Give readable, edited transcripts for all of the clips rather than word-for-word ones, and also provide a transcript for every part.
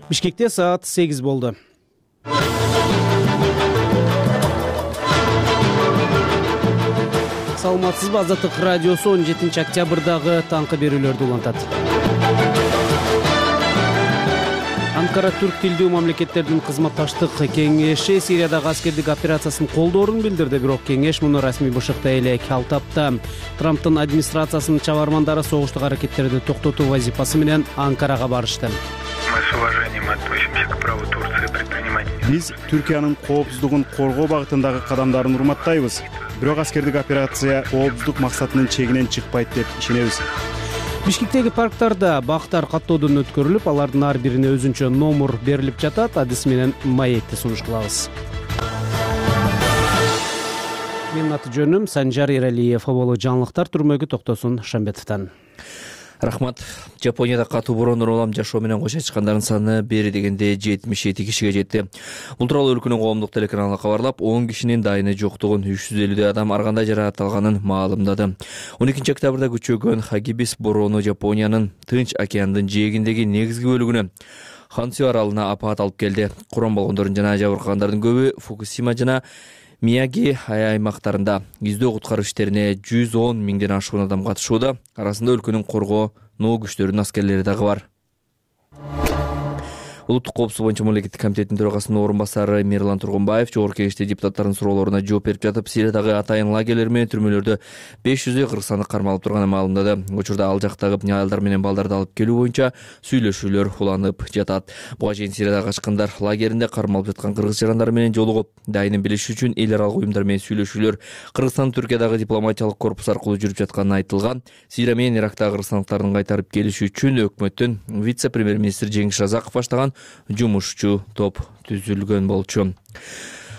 Бишкекте саат 8 болду. Саламатсызбы? Азаттык радиосу 17 октябрдагы таңкы берүүлөрдү улантат. Анкара түрк тилдүү мамлекеттердин кызматташтык кеңеши Сириядагы аскердик операциясын колдоорун билдирди, бирок кеңеш муну расмий бышыктай элек калтапты. Трамптын администрациясынын чабармандары согуштук аракеттерди токтотуу вазифасы менен Анкарага барышты. Мы с уважением относимся к праву Турции предпринимать. Биз Түркиянын коопсуздугун коргоо багытындагы кадамдарын урматтайбыз. Бирок аскердик операция коопсуздук максатынын чегинен чыкпайт деп ишенебиз. Бишкектеги парктарда бактар каттоодон өткөрүлүп, алардын ар бирине өзүнчө номер берилип жатат. Адис менен маекти сунуш кылабыз. Менин аты жөнүм Санжар Эралиев. Оболу жаңылыктар түрмөгү Токтосун Шамбетовдон. Рахмат. Жапонияда катуу бороондор улам жашоо менен кошо чыккандардын саны бери дегенде 77 кишиге жетти. Бул тууралуу өлкөнүн коомдук телеканалы кабарлап, 10 кишинин дайыны жоктугун, 350 адам ар кандай жаракат алганын маалымдады. 12 октябрда күчөгөн Хагибис бороону Жапониянын Тынч океандын жээгиндеги негизги бөлүгүнө Хонсю аралына апаат алып келди. Курман болгондордун жана жабыркагандардын көбү Фукусима жана Мияги аймактарында. Издөө куткаруу иштерине 110 миңден ашуун адам катышууда. Арасында өлкөнүн коргонуу күчтөрүнүн аскерлери дагы бар. Улуттук коопсуздук боюнча мамлекеттик комитеттин төрагасынын орун басары Мирлан Тургунбаев жогорку кеңеште депутаттардын суроолоруна жооп берип жатып, Сириядагы атайын лагерлер менен түрмөлөрдө 500 кыргызстандык кармалып турганын маалымдады. Учурда ал жактагы аялдар менен балдарды алып келүү боюнча сүйлөшүүлөр уланып жатат. Буга чейин Сириядагы качкындар лагеринде кармалып жаткан кыргыз жарандары менен жолугуп, дайынын билиши үчүн эл аралык уюмдар менен сүйлөшүүлөр Кыргызстан Түркиядагы дипломатиялык корпус аркылуу жүрүп жатканы айтылган. Сирия менен Ирактагы кыргызстандыктардын кайтарып келиши үчүн өкмөттүн вице-премьер-министри Жеңиш Разаков баштаган жумушчу топ түзүлгөн болчу.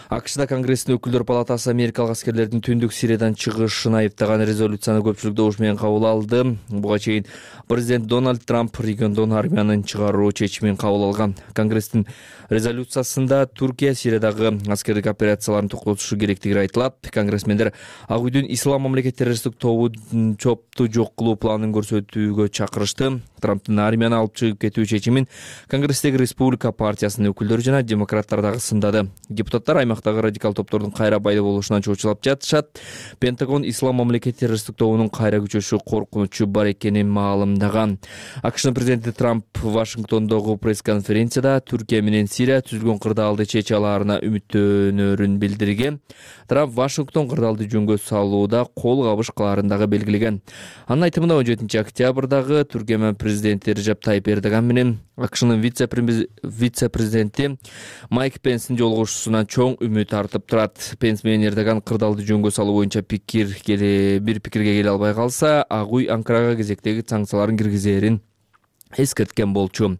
АКШда Конгресстин өкүлдөр палатасы америкалык аскерлердин түндүк Сириядан чыгышын айыптаган резолюцияны көпчүлүк добуш менен кабыл алды. Буга чейин президент Дональд Трамп региондон армиянын чыгаруу чечимин кабыл алган. Конгресстин резолюциясында Түркия Сириядагы аскердик операцияларын токтотушу керектиги айтылат. Конгрессмендер Ак үйдүн Ислам мамлекет террористтик топту жок кылуу планын көрсөтүүгө чакырышты. Трамптын армияны алып чыгып кетүү чечимин Конгресстеги Республика партиясынын өкүлдөрү жана демократтар дагы сындады. Депутаттар аймактагы радикал топтордун кайра пайда болушунан чочулап жатышат. Пентагон Ислам мамлекет террористтик тобунун кайра күчөшү коркунучу бар экенин маалымдаган. АКШнын президенти Трамп Вашингтондогу пресс-конференцияда Түркия менен Сирия түзүлгөн кырдаалды чече алаарына үмүттөнөрүн билдирген. Трамп Вашингтон кырдаалды жөнгө салууда кол кабыш кылаарын дагы белгилеген. Анын айтымында 17 октябрдагы Түркия менен президенти Режеп Тайип Эрдоган менен АКШнын вице-президенти Майк Пенстин жолугушуусунан чоң үмүт артып турат. Пенс менен Эрдоган кырдаалды жөнгө салуу боюнча бир пикирге келе албай калса, Ак үй Анкарага кезектеги санкцияларын киргизерин эскерткен болчу.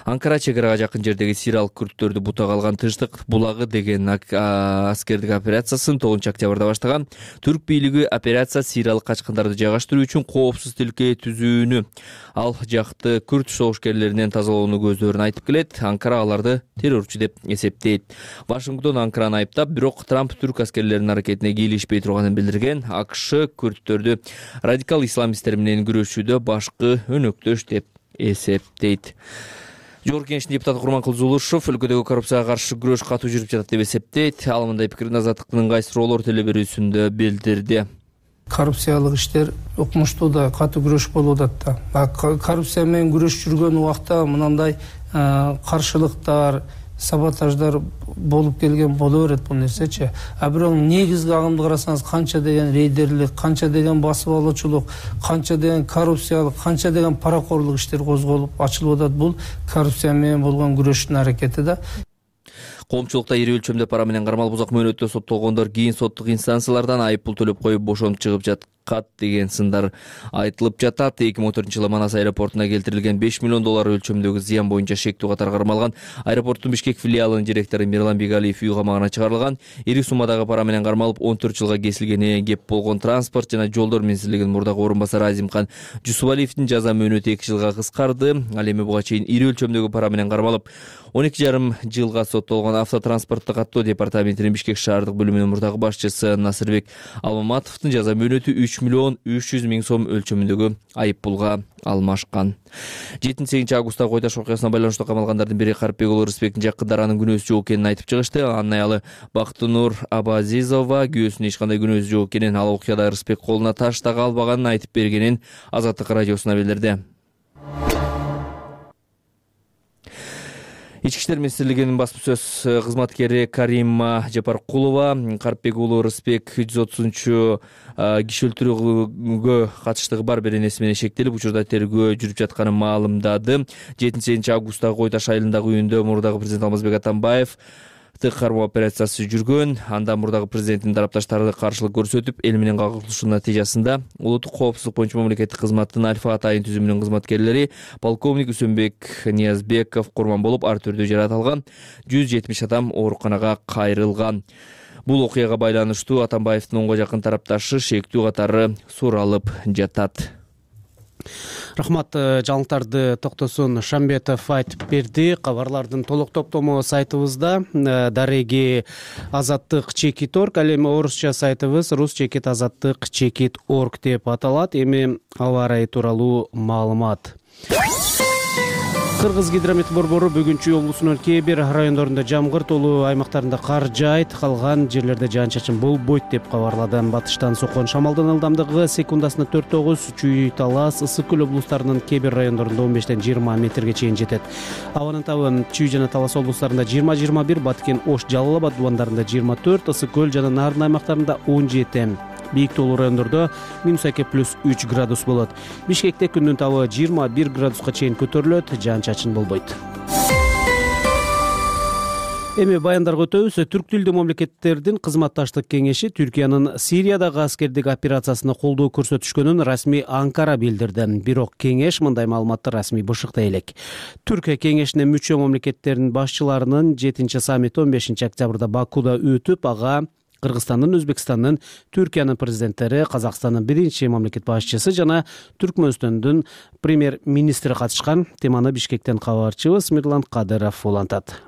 Анкара чек арага жакын жердеги сириялык күрттөрдү бутага алган Тынчтык булагы деген аскердик операциясын 9 октябрда баштаган. Түрк бийлиги операция сириялык качкындарды жайгаштыруу үчүн коопсуз тилке түзүүнү, ал жакты күрт согушкерлеринен тазалоону көздөрүн айтып келет. Анкара аларды террорчу деп эсептейт. Вашингтон Анкараны айыптап, бирок Трамп түрк аскерлеринин аракетине кийлешпей турганын билдирген. АКШ күрттөрдү радикал исламисттер менен күрөшүүдө башкы өнөктөш деп эсептейт. Жогорку кеңештин депутаты Курманкул Зулушев өлкөдөгү коррупцияга каршы күрөш катуу жүрүп жатат деп эсептейт. Ал мындай пикирин Азаттыктын ыңгай суроолор телеберүүсүндө билдирди. Коррупциялык иштер укмуштуу да катуу күрөш болуп атат да. Коррупция менен күрөш жүргөн убакта мындай каршылыктар, саботаждар болуп келген боло берет бул нерсечи. А бирок негизги агымды карасаңыз, канча деген рейдерлик, канча деген басып алуучулук, канча деген коррупциялык, канча деген паракорлук иштер козголуп ачылып атат. Бул коррупция менен болгон күрөштүн аракети да. Коомчулукта ири өлчөмдө пара менен кармалып узак мөөнөттө соттолгондор кийин соттук инстанциялардан айыппул төлөп коюп бошоnup чыгып жаткат деген сындар айтылып жатат. 2014-жылы Манас аэропортуна келтирилген 5 миллион доллар өлчөмдөгү зыян боюнча шектүү катар кармалган аэропорттун Бишкек филиалынын директору Мирлан Бегалиев үй камагына чыгарылган. Ири суммадагы пара менен кармалып 14 жылга кесилгенине кеп болгон Транспорт жана жолдор министрлигинин мурдагы орун басары Азимкан Жусупалиевдин жаза мөөнөтү 2 жылга кыскарды. Ал эми буга чейин ири өлчөмдөгү пара менен кармалып 12,5 жылга соттолгон автотранспорттук каттоо департаментинин Бишкек шаардык бөлүмүнүн мурдагы башчысы Насырбек Алмаматовдун жаза мөөнөтү 3 3,3 миллион сом өлчөмүндөгү айып пулга алмашкан. 7-8 августтагы кой таш окуясына байланыштуу камалгандардын бири Карипбек уулу Рыспектин жакындар анын күнөөсү жок экенин айтып чыгышты. Анын аялы Бактынур Абазизова күнөөсүнүн эч кандай күнөөсү жок экенин, ал окуяда Рыспек колуна таш дагы албаганын айтып бергенин Азаттык радиосуна билдирди. Ички иштер министрлигинин басма сөз кызматкери Карима Жапаркулова Карипбек уулу Рыспек 130 киши өлтүрүүгө катыштыгы бар беренеси менен шектелип, учурда тергөө жүрүп жатканын маалымдады. 7-8 августтагы кой таш айылындагы үйүндө мурдагы президент Алмазбек Атамбаев кармоо операциясы жүргөн. Анда мурдагы президенттин тарапташтары каршылык көрсөтүп, эл менен кагылышуунун натыйжасында улуттук коопсуздук боюнча мамлекеттик кызматтын Альфа атайын түзүмүнүн кызматкерлери полковник Үсөнбек Ниязбеков курман болуп, ар түрдүү жаракат алган. 170 адам ооруканага кайрылган. Бул окуяга байланыштуу Атамбаевдин 10га жакын тарапташы шектүү катары суралып жатат. Рахмат, жаңылыктарды Токтосун Шамбетов айтып берди. Кабарлардын толук топтому сайтыбызда дареги azattik.org, ал эми орусча сайтыбыз rus-azattik.org деп аталат. Эми аба ырайы тууралуу маалымат. Кыргыз гидромет борбору бүгүн Чүй облусунун кээ бир райондорунда жамгыр толуу аймактарында кар жаайт, калган жерлерде жаан-чачын болбойт деп кабарлады. Батыштан соккон шамалдын ылдамдыгы секундасына 4-9, Чүй, Талас, Ысык көл облустарынын кээ бир райондорунда 15-20 метрге чейин жетет. Абанын табы Чүй жана Талас облустарында 20-21, Баткен, Ош, Жалал Абад дубандарында 24, Ысык көл жана Нарын аймактарында 17. Бийик тоолуу райондордо -2 градус болот. Бишкекте күндүн табы 21 градуска чейин көтөрүлөт, жаан-чачын болбойт. Эми баяндарга өтөбүз. Түрк тилдүү мамлекеттердин кызматташтык кеңеши Түркиянын Сириядагы аскердик операциясына колдоо көрсөтүшкөнүн расмий Анкара билдирди. Бирок кеңеш мындай маалыматты расмий бышыктай элек. Түркия кеңешине мүчө мамлекеттердин башчыларынын 7-саммити 15 октябрда Бакуда өтүп, ага Кыргызстандын, Өзбекстандын, Түркиянын президенттери, Казакстандын биринчи мамлекет башчысы жана Түркмөнстөндүн премьер-министри катышкан. Теманы Бишкектен кабарчыбыз Мирлан Кадыров улантат.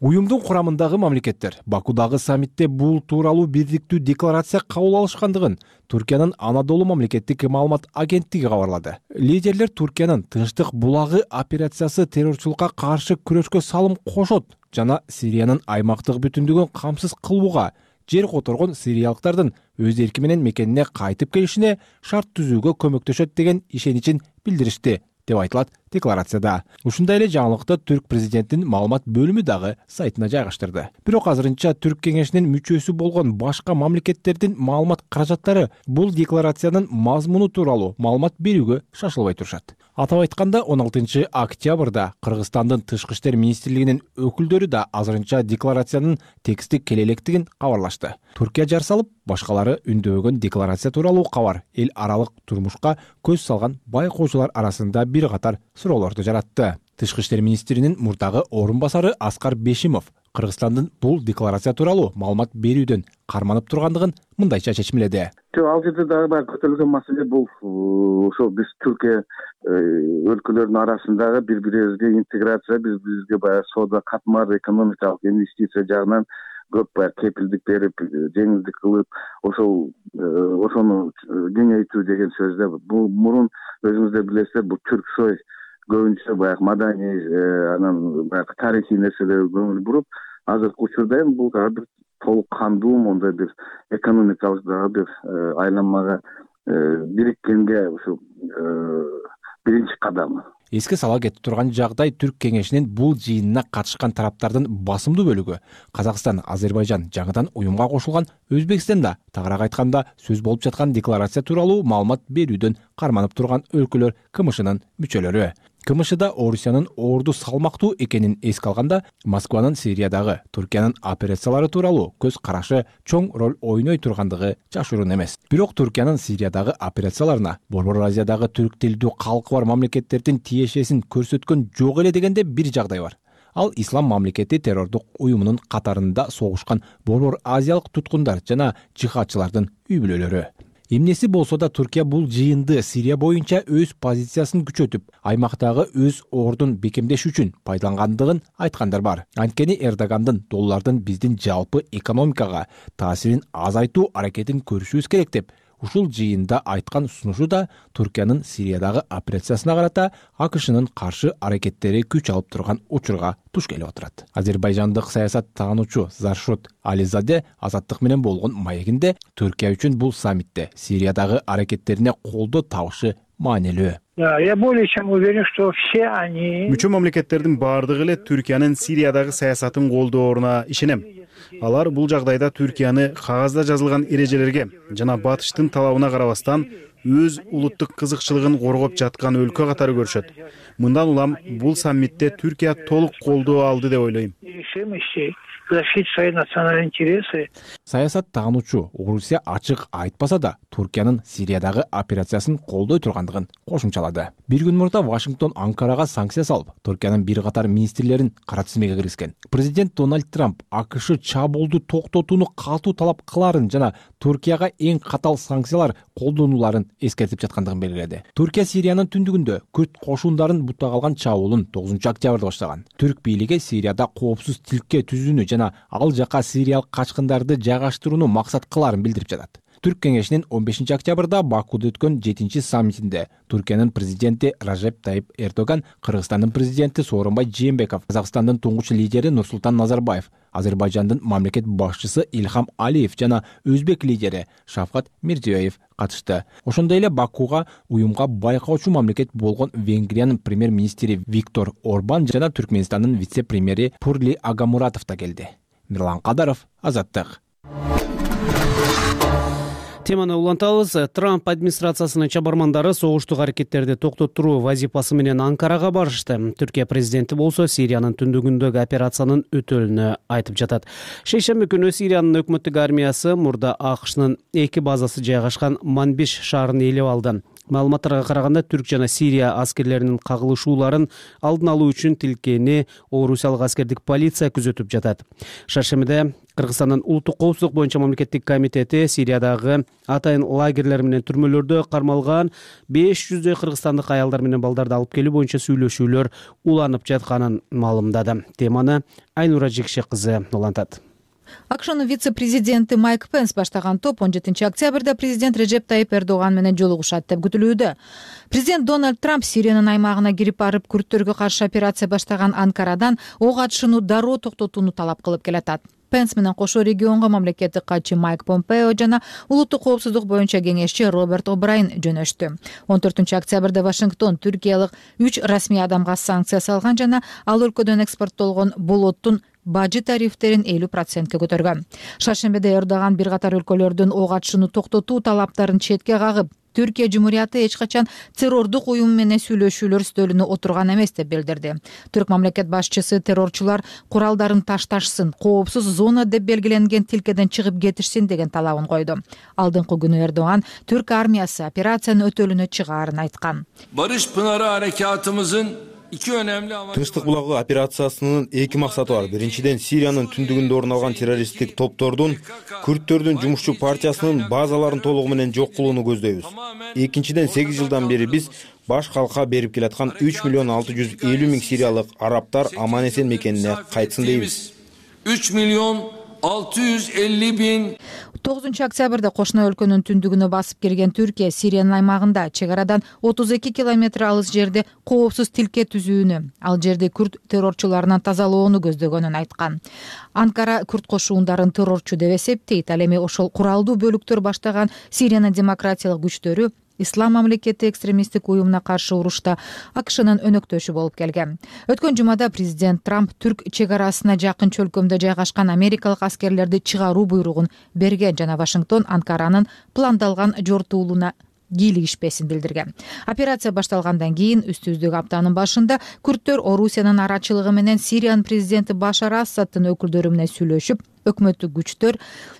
Уюмдун курамындагы мамлекеттер Бакудагы саммитте бул тууралуу бирдиктүү декларация кабыл алышкандыгын Түркиянын Анадолу мамлекеттик маалымат агенттиги кабарлады. Лидерлер Түркиянын Тынчтык булагы операциясы террорчулукка каршы күрөшкө салым кошот жана Сириянын аймактык бүтүндүгүн камсыз кылууга, жер которгон сириялыктардын өз эрки менен мекенине кайтып келишине шарт түзүүгө көмөктөшөт деген ишеничин билдиришти деп айтылат декларацияда. Ушундай эле жаңылыкты Түрк президентинин маалымат бөлүмү дагы сайтына жайгаштырды. Бирок азырынча Түрк кеңешинин мүчөсү болгон башка мамлекеттердин маалымат каражаттары бул декларациянын мазмуну тууралуу маалымат берүүгө шашылбай турушат. Атап айтканда 16 октябрда Кыргызстандын Тышкы иштер министрлигинин өкүлдөрү да азырынча декларациянын тексти келелектигин кабарлашты. Түркия жар салып, башкалары үндөгөн декларация тууралуу кабар эл аралык турмушка көз салган байкоочулар арасында бир катар суроолорду жаратты. Тышкы иштер министринин мурдагы орун басары Аскар Бешимов Кыргызстандын бул декларация тууралуу маалымат берүүдөн карманып тургандыгын мындайча чечимледи. Ал жерде дагы баягы көтөрүлгөн маселе бул ошо биз Түркия өлкөлөрүнүн арасындагы бири-бирибизге интеграция, бири-бирибизге баягы соода катмар, экономикалык инвестиция жагынан көп баягы кепилдик берип, жеңилдик кылып, ошону кеңейтүү деген сөздө бул мурун өзүңүздөр билесиздер, бул Түрксой көбүнчө баягы маданий, анан баягы тарыхый нерселерге көңүл буруп, азыркы учурда эми бул дагы бир толук кандуу мондай бир экономикалык дагы бир айланмага бириккенге ушу биринчи кадамы. Эске сала кетип турган жагдай Түрк кеңешинин бул жыйынына катышкан тараптардын басымдуу бөлүгү Казакстан, Азербайжан жаңыдан уюмга кошулган, Өзбекстанда тагыраак айтканда сөз болуп жаткан декларация тууралуу маалымат берүүдөн карманып турган өлкөлөр КМШнын мүчөлөрү. КМШда Орусиянын орду салмактуу экенин эске алганда, Москванын Сириядагы Түркиянын операциялары тууралуу көз карашы чоң роль ойной тургандыгы жашыруун эмес. Бирок Түркиянын Сириядагы операцияларына Борбор Азиядагы түрк тилдүү калкы бар мамлекеттердин тиешесин көрсөткөн жок эле дегенде бир жагдай бар. Ал ислам мамлекети террордук уюмунун катарында согушкан Борбор Азиялык туткундар жана жихадчылардын үй бүлөлөрү. Эмнеси болсо да Түркия бул жыйынды Сирия боюнча өз позициясын күчөтүп, аймактагы өз ордун бекемдеш үчүн пайдалангандыгын айткандар бар. Анткени Эрдогандын доллардын биздин жалпы экономикага таасирин азайтуу аракетин көрүшүбүз керек деп Ушул жыйында айткан сунушу да Түркиянын Сириядагы операциясына карата АКШнын каршы аракеттери күч алып турган учурга туш келип отурат. Азербайжандык саясаттануучу Заршот Ализаде Азаттык менен болгон маегинде Түркия үчүн бул саммитте Сириядагы аракеттерине колдоо табышы маанилүү. Я более чем уверен, что все они... Мүчө мамлекеттердин баардыгы эле Түркиянын Сириядагы саясатын колдооруна ишенем. Алар бул жагдайда Түркияны кагазда жазылган эрежелерге жана батыштын талабына карабастан өз улуттук кызыкчылыгын коргоп жаткан өлкө катары көрүшөт. Мындан улам бул саммитте Түркия толук колдоо алды деп ойлойм. Защитить свои национальные интересы. Саясаттануучу Орусия ачык айтпаса да Түркиянын Сириядагы операциясын колдой тургандыгын кошумчалады. Бир күн мурда Вашингтон Анкарага санкция салып, Түркиянын бир катар министрлерин кара тизмеге киргизген. Президент Дональд Трамп АКШ чабуулду токтотууну катуу талап кыларын жана Түркияга эң катал санкциялар колдонуларын эскертип жаткандыгын белгиледи. Түркия Сириянын түндүгүндө күрд кошундарын буттап алган чабуулун 9-октябрда баштаган. Түрк бийлиги Сирияда коопсуз тилке түзүүнү жана ал жака сириялык качкындарды жайгаштырууну максат кыларын билдирип жатат. Түрк кеңешинин 15-октябрда Бакууда өткөн 7-чи саммитинде Түркиянын президенти Ражеп Тайип Эрдоган, Кыргызстандын президенти Сооронбай Жээнбеков, Казакстандын туңгуч лидери Нурсултан Назарбаев, Азербайжандын мамлекет башчысы Илхам Алиев жана Өзбек лидери Шавкат Мирзиёев катышты. Ошондой эле Бакууга уюмга байкоочу мамлекет болгон Венгриянын премьер-министри Виктор Орбан жана Түркмөнстандын вице-премьери Пурли Агамуратов да келди. Мирлан Кадаров, Азаттык. Теманы улантабыз. Трамп администрациясынын чабармандары согуштук аракеттерди токтоттуруу вазифасы менен Анкарага барышты. Түркия президенти болсо Сириянын түндүгүндөгү операциянын өтөлүнү айтып жатат. Шейшемби күнү Сириянын өкмөттүк армиясы мурда АКШнын 2 базасы жайгашкан Манбиш шаарын ээлеп алды. Маалыматтарга караганда Түрк жана Сирия аскерлеринин кагылышууларын алдын алуу үчүн тилкени орусиялык аскердик полиция күзөтүп жатат. Шаршемиде Кыргызстандын улуттук коопсуздук боюнча мамлекеттик комитети Сириядагы атайын лагерлер менен түрмөлөрдө кармалган 500 кыргызстандык аялдар менен балдарды алып келүү боюнча сүйлөшүүлөр уланып жатканын маалымдады. Теманы Айнура Жекшек кызы улантат. АКШнын вице-президенти Майк Пенс баштаган топ 17-октябрда президент Режеп Тайип Эрдоган менен жолугушат деп күтүлүүдө. Президент Дональд Трамп Сириянын аймагына кирип барып, күрттөргө каршы операция баштаган Анкарадан ок атышууну дароо токтотууну талап кылып келатат. Пенс менен кошо регионго мамлекеттик катчы Майк Помпео жана улуттук коопсуздук боюнча кеңешчи Роберт О'Брайен жөнөштү. 14-октябрда Вашингтон Түркиялык 3 расмий адамга санкция салган жана ал өлкөдөн экспорттолгон болоттун бажы тарифтерин 50%ке көтөргөн. Шаршембиде Эрдоган бир катар өлкөлөрдүн ок атышууну токтотуу талаптарын четке кагып, Түркия Жумурияты эч качан террордук уюм менен сүйлөшүүлөр стөлүнө отурган эмес деп билдирди. Түрк мамлекет башчысы террорчулар куралдарын ташташсын, коопсуз зона деп белгиленген тилкеден чыгып кетишсин деген талабын койду. Алдыңкы күнү Эрдоган Түрк армиясы операциянын өтөлүнө чыгаарын айткан. Барыш Пынары аракатымыздын Тынчтык булагы операциясынын 2 максаты бар. Биринчиден, Сириянын түндүгүндө орун алган террористтик топтордун, күрттөрдүн жумушчу партиясынын базаларын толугу менен жок кылууну көздөйбүз. Экинчиден, 8 жылдан бери биз баш калкка берип келаткан 3 миллион 650 миң сириялык арабтар аман-эсен мекенине кайтсын дейбиз. 3 миллион 650 миң 9-октябрда кошуна өлкөнүн түндүгүнө басып кирген Түркия Сириянын аймагында чек арадан 32 километр алыс жерде коопсуз тилке түзүүнү, ал жерди күрт террорчуларынан тазалоону көздөгөнүн айткан. Анкара күрт кошуундарын террорчу деп эсептейт. Ал эми ошол куралдуу бөлүктөр баштаган Сириянын демократиялык күчтөрү Ислам мамлекети экстремисттик уюмуна каршы урушта АКШнын өнөктөшү болуп келген. Өткөн жумада президент Трамп Түрк чек арасына жакын чөлкөмдө жайгашкан америкалык аскерлерди чыгаруу буйругун берген жана Вашингтон Анкаранын пландалган жортуулуна кийлигишпесин билдирген. Операция башталгандан кийин үстүбүздөгү аптанын башында күрттөр Орусиянын арачылыгы менен Сириянын президенти Башар Асадтын өкүлдөрү менен сүйлөшүп, өкмөттүк күчтөр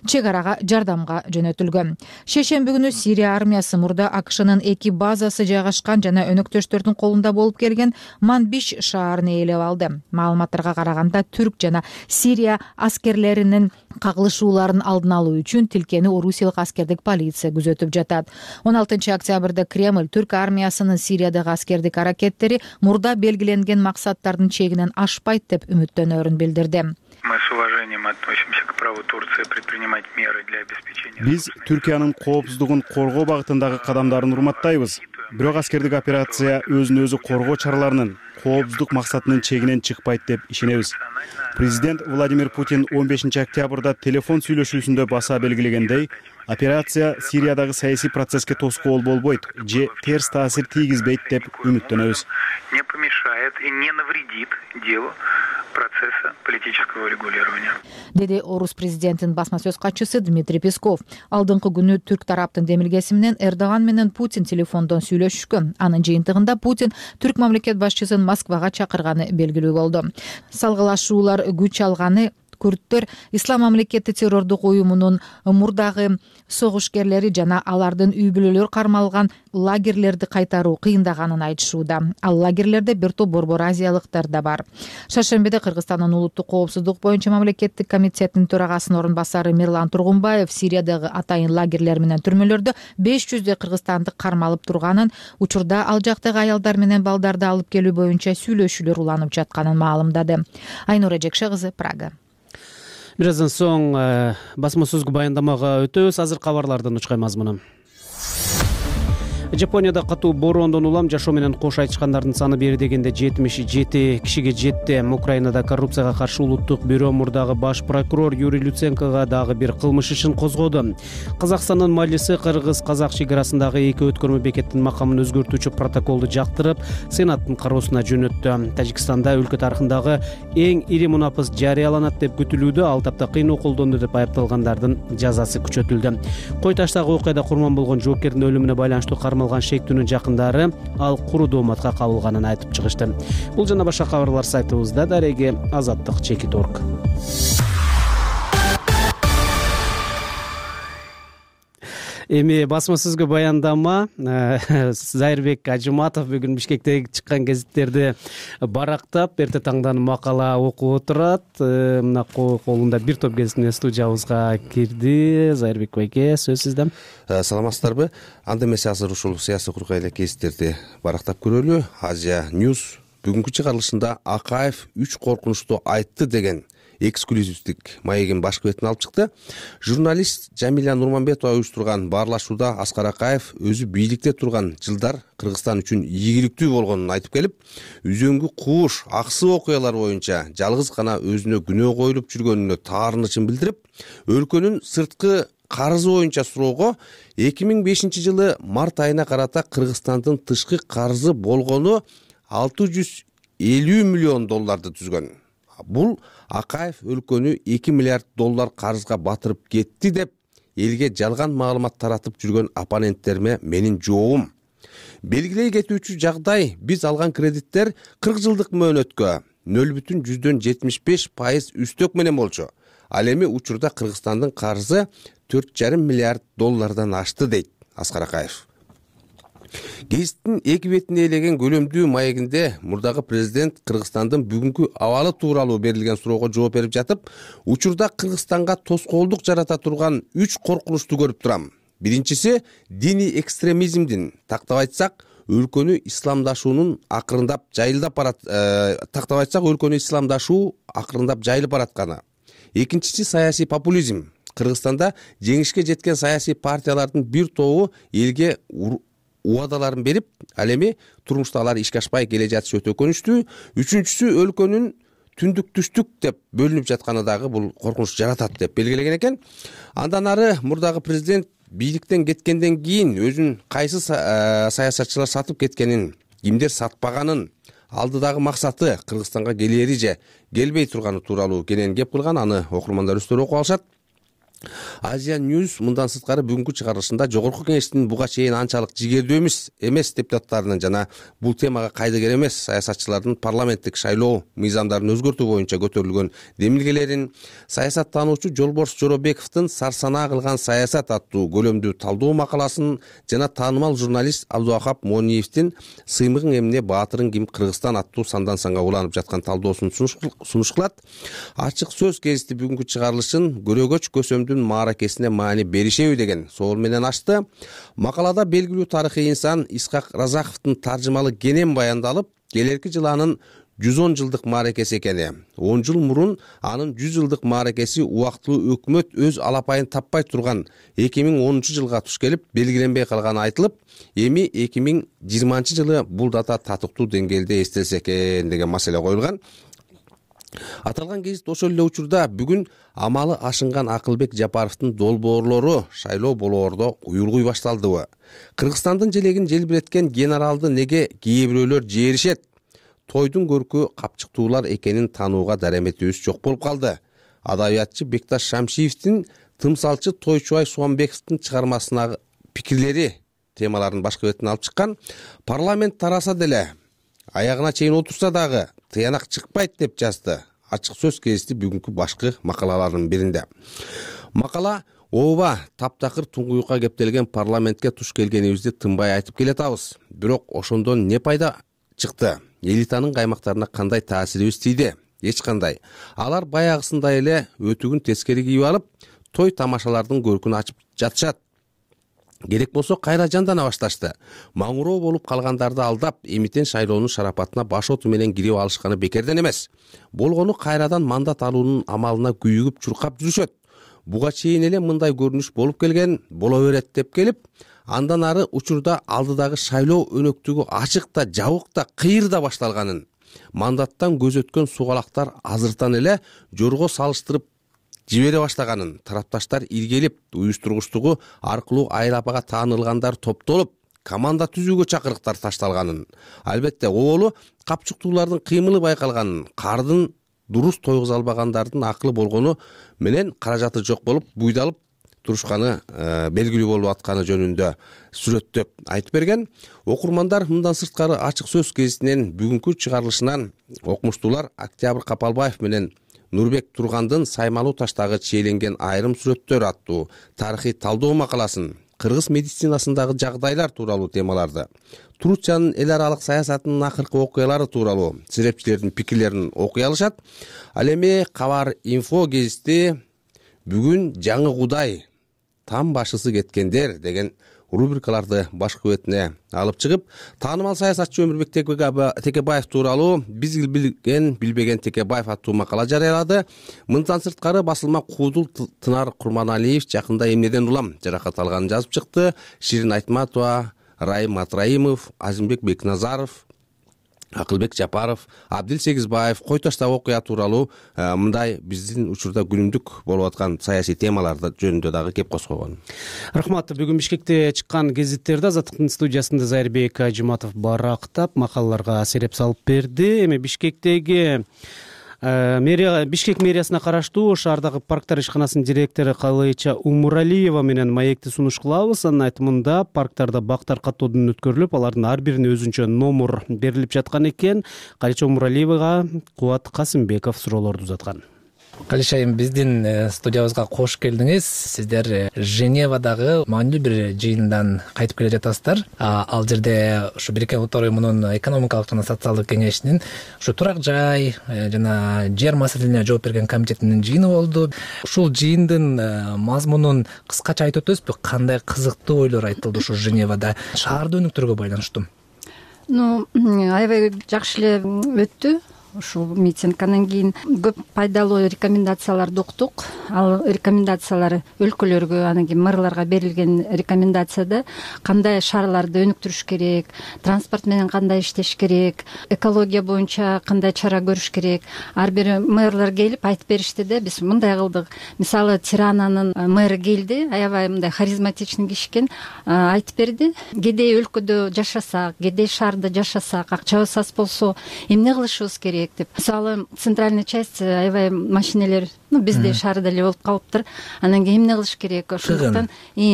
чек арага жардамга жөнөтүлгөн. Шейшемби күнү Сирия армиясы мурда АКШнын 2 базасы жайгашкан жана өнөктөштөрдүн колунда болуп келген Манбиш шаарын ээлеп алды. Маалыматтарга караганда Түрк жана Сирия аскерлеринин кагылышууларын алдын алуу үчүн тилкени орусиялык аскердик полиция күзөтүп жатат. 16-октябрда Кремль Түрк армиясынын Сириядагы аскердик аракеттери мурда белгиленген максаттардын чегинен ашпайт деп үмүттөнөрүн билдирди. Мы с уважением занимает относимся к праву Турции предпринимать меры для обеспечения. Биз Түркиянын коопсуздугун коргоо багытындагы кадамдарын урматтайбыз. Бирок аскердик операция өзүн өзү коргоо чараларынын коопсуздук максатынын чегинен чыкпайт деп ишенебиз. Президент Владимир Путин 15 октябрда телефон сүйлөшүүсүндө баса белгилегендей, операция Сириядагы саясий процесске тоскоол болбойт же терс таасир тийгизбейт деп үмүттөнөбүз. Не помешает и не навредит делу процесса политического регулирования. Деди Орус президентинин басма сөз катчысы Дмитрий Песков. Алдыңкы күнү түрк тараптын демилгеси менен Эрдоган менен Путин телефондон сүйлөшүшкөн. Анын жыйынтыгында Путин түрк мамлекет башчысын Москвага чакырганы белгилүү болду. Салгылашуулар күч алганы күрттөр Ислам мамлекети террордук уюмунун мурдагы согушкерлери жана алардын үй бүлөлөр кармалган лагерлерди кайтаруу кыйындаганын айтышууда. Ал лагерлерде бир топ борбор азиялыктар да бар. Шаршембиде Кыргызстандын улуттук коопсуздук боюнча мамлекеттик комитетинин төрагасынын орун басары Мирлан Тургунбаев Сириядагы атайын лагерлер менен түрмөлөрдө 500 кыргызстандык кармалып турганын, учурда ал жактагы аялдар менен балдарды алып келүү боюнча сүйлөшүүлөр уланып жатканын маалымдады. Айнура Жекше кызы, Прага. Бир аздан соң басма сөзгө баяндамага өтөбүз. Азыр кабарлардын учкай мазмуну. Жапонияда катуу бороондон улам жашоо менен кош айтышкандардын саны бери дегенде 77 кишиге жетти. Украинада коррупцияга каршы улуттук бюро мурдагы баш прокурор Юрий Люценкого дагы бир кылмыш ишин козгоду. Казакстандын Мажилиси кыргыз-казак чекарасындагы эки өткөрмө бекеттин макамын өзгөртүүчү протоколду жактырып, Сенаттын кароосуна жөнөттү. Тажикстанда өлкө тарыхындагы эң ири мунапыс жарыяланат деп күтүлүүдө. Ал тапта кыйноо колдонду деп айыпталгандардын жазасы күчөтүлдү. Кой таштагы окуяда курман болгон жоокердин өлүмүнө байланыштуу кармалган шектүүнүн жакындары ал куру дооматка кабылганын айтып чыгышты. Бул жана башка кабарлар сайтыбызда. Дареги Азаттык.org. Эми басма сөзгө баяндама. Зайырбек Ажыматов бүгүн Бишкектеги чыккан гезиттерди барактап, эрте таңдан макала окуп отурат. Мына колунда бир топ гезит менен студиябызга кирди. Зайырбек байке, сөз сизде. Саламатсыздарбы? Анда эмесе азыр ушул саясий кургай эле гезиттерди барактап көрөлү. Азия News бүгүнкү чыгарылышында Акаев 3 коркунучту айтты деген эксклюзивдик маегин башкы бетине алып чыкты. Журналист Жамиля Нурманбетова уюштурган баарлашууда Аскар Акаев өзү бийликте турган жылдар Кыргызстан үчүн ийгиликтүү болгонун айтып келип, үзөңгү кууш, аксы окуялар боюнча жалгыз гана өзүнө күнөө коюлуп жүргөнүнө таарынычын билдирип, өлкөнүн сырткы карызы боюнча суроого 2005 жылы март айына карата Кыргызстандын тышкы карызы болгону 650 миллион долларды түзгөн. Бул Акаев өлкөнү 2 миллиард доллар карызга батырып кетти деп элге жалган маалымат таратып жүргөн оппоненттериме менин жообум. Белгилей кетүүчү жагдай, биз алган кредиттер 40 жылдык мөөнөткө 0,75% үстөк менен болчу. Ал эми учурда Кыргызстандын карызы 4,5 миллиард доллардан ашты дейт Аскар Акаев. Гезиттин эки бетине элеген көлөмдүү маегинде мурдагы президент Кыргызстандын бүгүнкү абалы тууралуу берилген суроого жооп берип жатып, учурда Кыргызстанга тоскоолдук жарата турган 3 коркунучту көрүп турам. Биринчиси диний экстремизмдин, тактап айтсак, өлкөнү исламдашуунун акырындап жайылып баратканы. Экинчиси саясий популизм. Кыргызстанда жеңишке жеткен саясий партиялардын бир тобу элге убадаларын берип, ал эми турмушта алар ишке ашпай келе жатышы өтө өкүнүчтүү. Үчүнчүсү өлкөнүн түндүк түштүк деп бөлүнүп жатканы дагы бул коркунуч жаратат деп белгилеген экен. Андан ары мурдагы президент бийликтен кеткенден кийин өзүн кайсы саясатчылар сатып кеткенин, кимдер сатпаганын, алдыдагы максаты Кыргызстанга келери же келбей турганы тууралуу кенен кеп кылган. Аны окурмандар өздөрү окуп алышат. Азия News мындан сырткары бүгүнкү чыгарылышында жогорку кеңештин буга чейин анчалык жигердүү эмес депутаттарынын жана бул темага кайдыгер эмес саясатчылардын парламенттик шайлоо мыйзамдарын өзгөртүү боюнча көтөрүлгөн демилгелерин, саясаттануучу Жолборс Жоробековдун Сарсанаа кылган саясат аттуу көлөмдүү талдоо макаласын жана таанымал журналист Абдувахап Мониевдин Сыймыгың эмне баатырың ким Кыргызстан аттуу сандан санга уланып жаткан талдоосун сунуш кылат. Ачык сөз гезити бүгүнкү чыгарылышын көрөгөч көсөмдүн мааракесине маани беришеби деген соол менен ачты. Макалада белгилүү тарыхый инсан Исхак Разаковдун таржымалы кенен баяндалып, келерки жылы анын 110 жылдык мааракеси экени. 10 жыл мурун анын 100 жылдык мааракеси убактылуу өкмөт өз алапайын таппай турган 2010 жылга туш келип белгиленбей калганы айтылып, эми 2020 жылы бул дата татыктуу деңгээлде эстелсе экен деген маселе коюлган. Аталган гезит ошол эле учурда бүгүн амалы ашынган Акылбек Жапаровдун долбоорлору шайлоо болоордо уюлгуй башталдыбы? Кыргызстандын желегин желбиреткен генералды неге кээ бирөөлөр жээришет? Тойдун көркү капчыктуулар экенин таанууга дареметибиз жок болуп калды. Адабиятчы Бекташ Шамшиевдин, тымсалчы Тойчубай Суамбековдун чыгармасынагы пикирлери темаларын башкы бетине алып чыккан. Парламент тараса деле, аягына чейин отурса дагы тыянак чыкпайт деп жазды Ачык сөз гезити бүгүнкү башкы макалаларынын биринде. Макала ооба таптакыр туңгуюкка кептелген парламентке туш келгенибизди тынбай айтып келатабыз. Бирок ошондон не пайда чыкты? Элитанын каймактарына кандай таасирибиз тийди? Эч кандай. Алар баягысындай эле өтүгүн тескери кийип алып, той тамашалардын көркүн ачып жатышат. Керек болсо кайра жандана башташты. Маңуроо болуп калгандарды алдап, эмитен шайлоонун шарапатына баш оту менен кирип алышканы бекерден эмес. Болгону кайрадан мандат алуунун амалына күйүгүп чуркап жүрүшөт. Буга чейин эле мындай көрүнүш болуп келген, боло берет деп келип, андан ары учурда алдыдагы шайлоо өнөктүгү ачык да, жабык да, кыйыр да башталганын, мандаттан көз өткөн сугалактар азыртан эле жорго салыштырып жибере баштаганын, тарапташтар иргелип, уюштургучтугу аркылуу Айыл-апага таанылгандар топтолуп, команда түзүүгө чакырыктар ташталганын, албетте оболу капчыктуулардын кыймылы байкалганын, кардын дурус тойгуза албагандардын акылы болгону менен каражаты жок болуп, буйдалып турушканы белгилүү болуп атканы жөнүндө сүрөттөп айтып берген. Окурмандар мындан сырткары Ачык сөз гезитинин бүгүнкү чыгарылышынан окумуштуулар Октябрь Капалбаев менен Нурбек Тургандын Саймалуу таштагы чийленген айрым сүрөттөр аттуу тарыхый талдоо макаласын, кыргыз медицинасындагы жагдайлар тууралуу темаларды, Турциянын эл аралык саясатынын акыркы окуялары тууралуу серепчилердин пикирлерин окуй алышат. Ал эми Кабар Инфо гезити бүгүн жаңы Кудай, там башысы кеткендер деген рубрикаларды башкы бетине алып чыгып, таанымал саясатчы Өмүрбек Текебаев тууралуу биз билген билбеген Текебаев аттуу макала жарыялады. Мындан сырткары басылма Куудул Тынар Курманалиев жакында эмнеден улам жаракат алганын жазып чыкты. Ширин Айтматова, Райым Атраимов, Азимбек Бекназаров, Акылбек Жапаров, Абдил Сегизбаев кой таштагы окуя тууралуу мындай биздин учурда күнүмдүк болуп аткан саясий темаларды жөнүндө дагы кеп козгогон. Рахмат. Бүгүн Бишкекте чыккан гезиттерди Азаттыктын студиясында Зайырбек Ажыматов барактап, макалаларга сереп салып берди. Эми Бишкектеги Бишкек мэриясына караштуу шаардагы парктар ишканасынын директору Калыйча Умуралиева менен маекти сунуш кылабыз. Анын айтымында парктарда бактар каттоодон өткөрүлүп, алардын ар бирине өзүнчө номер берилип жаткан экен. Калыйча Умуралиевага Кубат Касымбеков суроолорду узаткан. Калыйча, биздин студиябызга кош келдиңиз. Сиздер Женевадагы маанилүү бир жыйындан кайтып келе жатасыздар. Ал жерде ушу Бириккен Улуттар Уюмунун экономикалык жана социалдык кеңешинин ушу турак жай жана жер маселелерине жооп берген комитетинин жыйыны болду. Ушул жыйындын мазмунун кыскача айтып өтөсүзбү? Кандай кызыктуу ойлор айтылды ушу Женевада шаарды өнүктүрүүгө байланыштуу? Аябай жакшы эле өттү. Ушул митингден кийин көп пайдалуу рекомендацияларды уктук. Ал рекомендациялар өлкөлөргө, анан кийин мэрларга берилген рекомендацияда кандай шаарларды өнүктүрүш керек, транспорт менен кандай иштеш керек, экология боюнча кандай чара көрүш керек. Ар бир мэрлар келип айтып беришти да, биз мындай кылдык. Мисалы Тирананын мэры келди, аябай мындай харизматичный киши экен, айтып берди. Кедей өлкөдө жашасак, кедей шаарда жашасак, акчабыз аз болсо эмне кылышыбыз керек деп. Мисалы центральный часть аябай машинелер бизде шаарда эле болуп калыптыр. Анан кийин эмне кылыш керек? Ошондуктан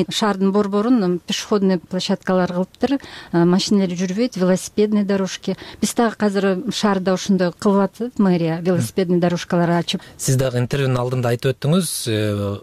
шаардын борборун пешеходный площадкалар кылыптыр. Машинелер жүрбөйт, велосипедный дорожки. Биз дагы азыр шаарда ошондой кылып атат мэрия, велосипедный дорожкалар ачып. Сиз дагы интервьюнун алдында айтып өттүңүз,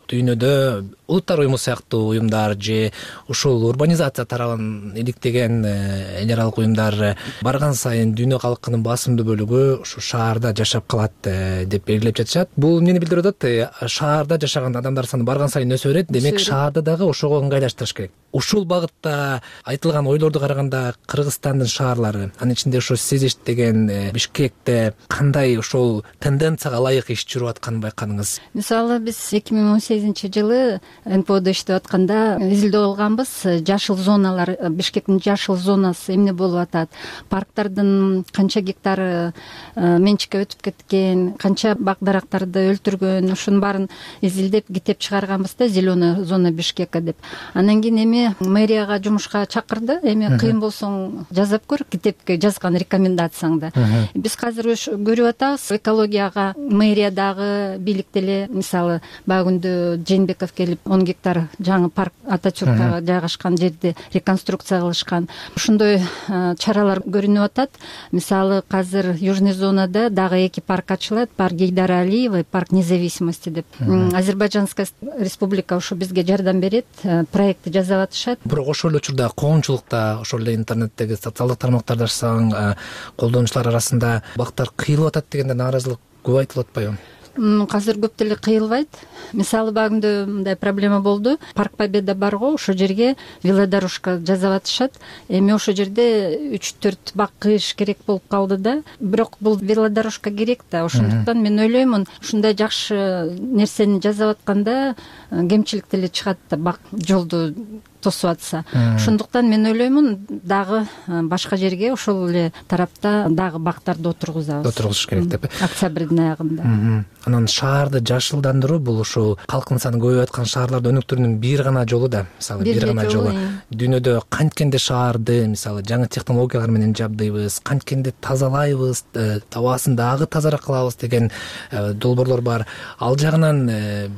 дүйнөдө Улуттар уюму сыяктуу уюмдар же ушул урбанизация тарабын иликтеген эл аралык уюмдар барган сайын дүйнө калкынын басымдуу бөлүгү ушу шаарда жашап калат деп белгилеп жатышат. Бул эмнени билдирип атат, шаарда жашаган адамдар саны барган сайын өсө берет, демек шаарды дагы ошого ыңгайлаштырыш керек. Ушул багытта айтылган ойлорду караганда Кыргызстандын шаарлары, анын ичинде ошо сиз иштеген Бишкекте кандай ошол тенденцияга ылайык иш жүрүп атканын байкадыңыз? Мисалы биз 2018-жылы НПОдо иштеп атканда изилдөө алганбыз. Жашыл зоналар, Бишкектин жашыл зонасы эмне болуп атат, парктардын канча гектары менчикке өтүп кеткен, канча бак дарактарды өлтүргөн, ушунун баарын изилдеп китеп чыгарганбыз да, зеленая зона Бишкека деп. Анан кийин эми мэрияга жумушка чакырды. Эми кыйын болсоң жазап көр, китепке жазган рекомендацияңды. Биз азыр көрүп атабыз, экологияга мэриядагы бийлик деле, мисалы багүндө Жээнбеков келип 10 гектар жаңы парк Атачуркага жайгашкан жерди реконструкция кылышкан. Ушундай чаралар көрүнүп атат. Мисалы азыр Южный зонада дагы 2 парк ачылат, парк Гейдара Алиева, парк Независимости деп. Азербайджанская республика ошо бизге жардам берет, проектти жасап атышат. Бирок ошол эле учурда коомчулукта, ошол эле интернеттеги социалдык тармактарда ашсаң, колдонуучулар арасында бактар кыйылып атат дегенде нааразылык көп айтылып атпайбы? Азыр көп деле кыйылбайт. Мисалы багында мындай проблема болду. Парк Победа барго, ошо жерге велодорожка жасап атышат. Эми ошо жерде 3-4 бак кыйыш керек болуп калды да. Бирок бул велодорожка керек да. Ошондуктан мен ойлоймун, ушундай жакшы нерсени жасап атканда кемчилик деле чыгат да, бак жолду тосуп атса. Ошондуктан мен ойлоймун, дагы башка жерге ошол эле тарапта дагы бактарды отургузабыз. Отургузуш керек деп. Октябрдын аягында. Анан шаарды жашылдандыруу бул ушул калктын саны көбөйүп аткан шаарларды өнүктүрүүнүн бир гана жолу да. Мисалы бир гана жолу. Дүйнөдө канткенде шаарды, мисалы жаңы технологиялар менен жабдыйбыз, канткенде тазалайбыз, абасын дагы тазараак кылабыз деген долбоорлор бар. Ал жагынан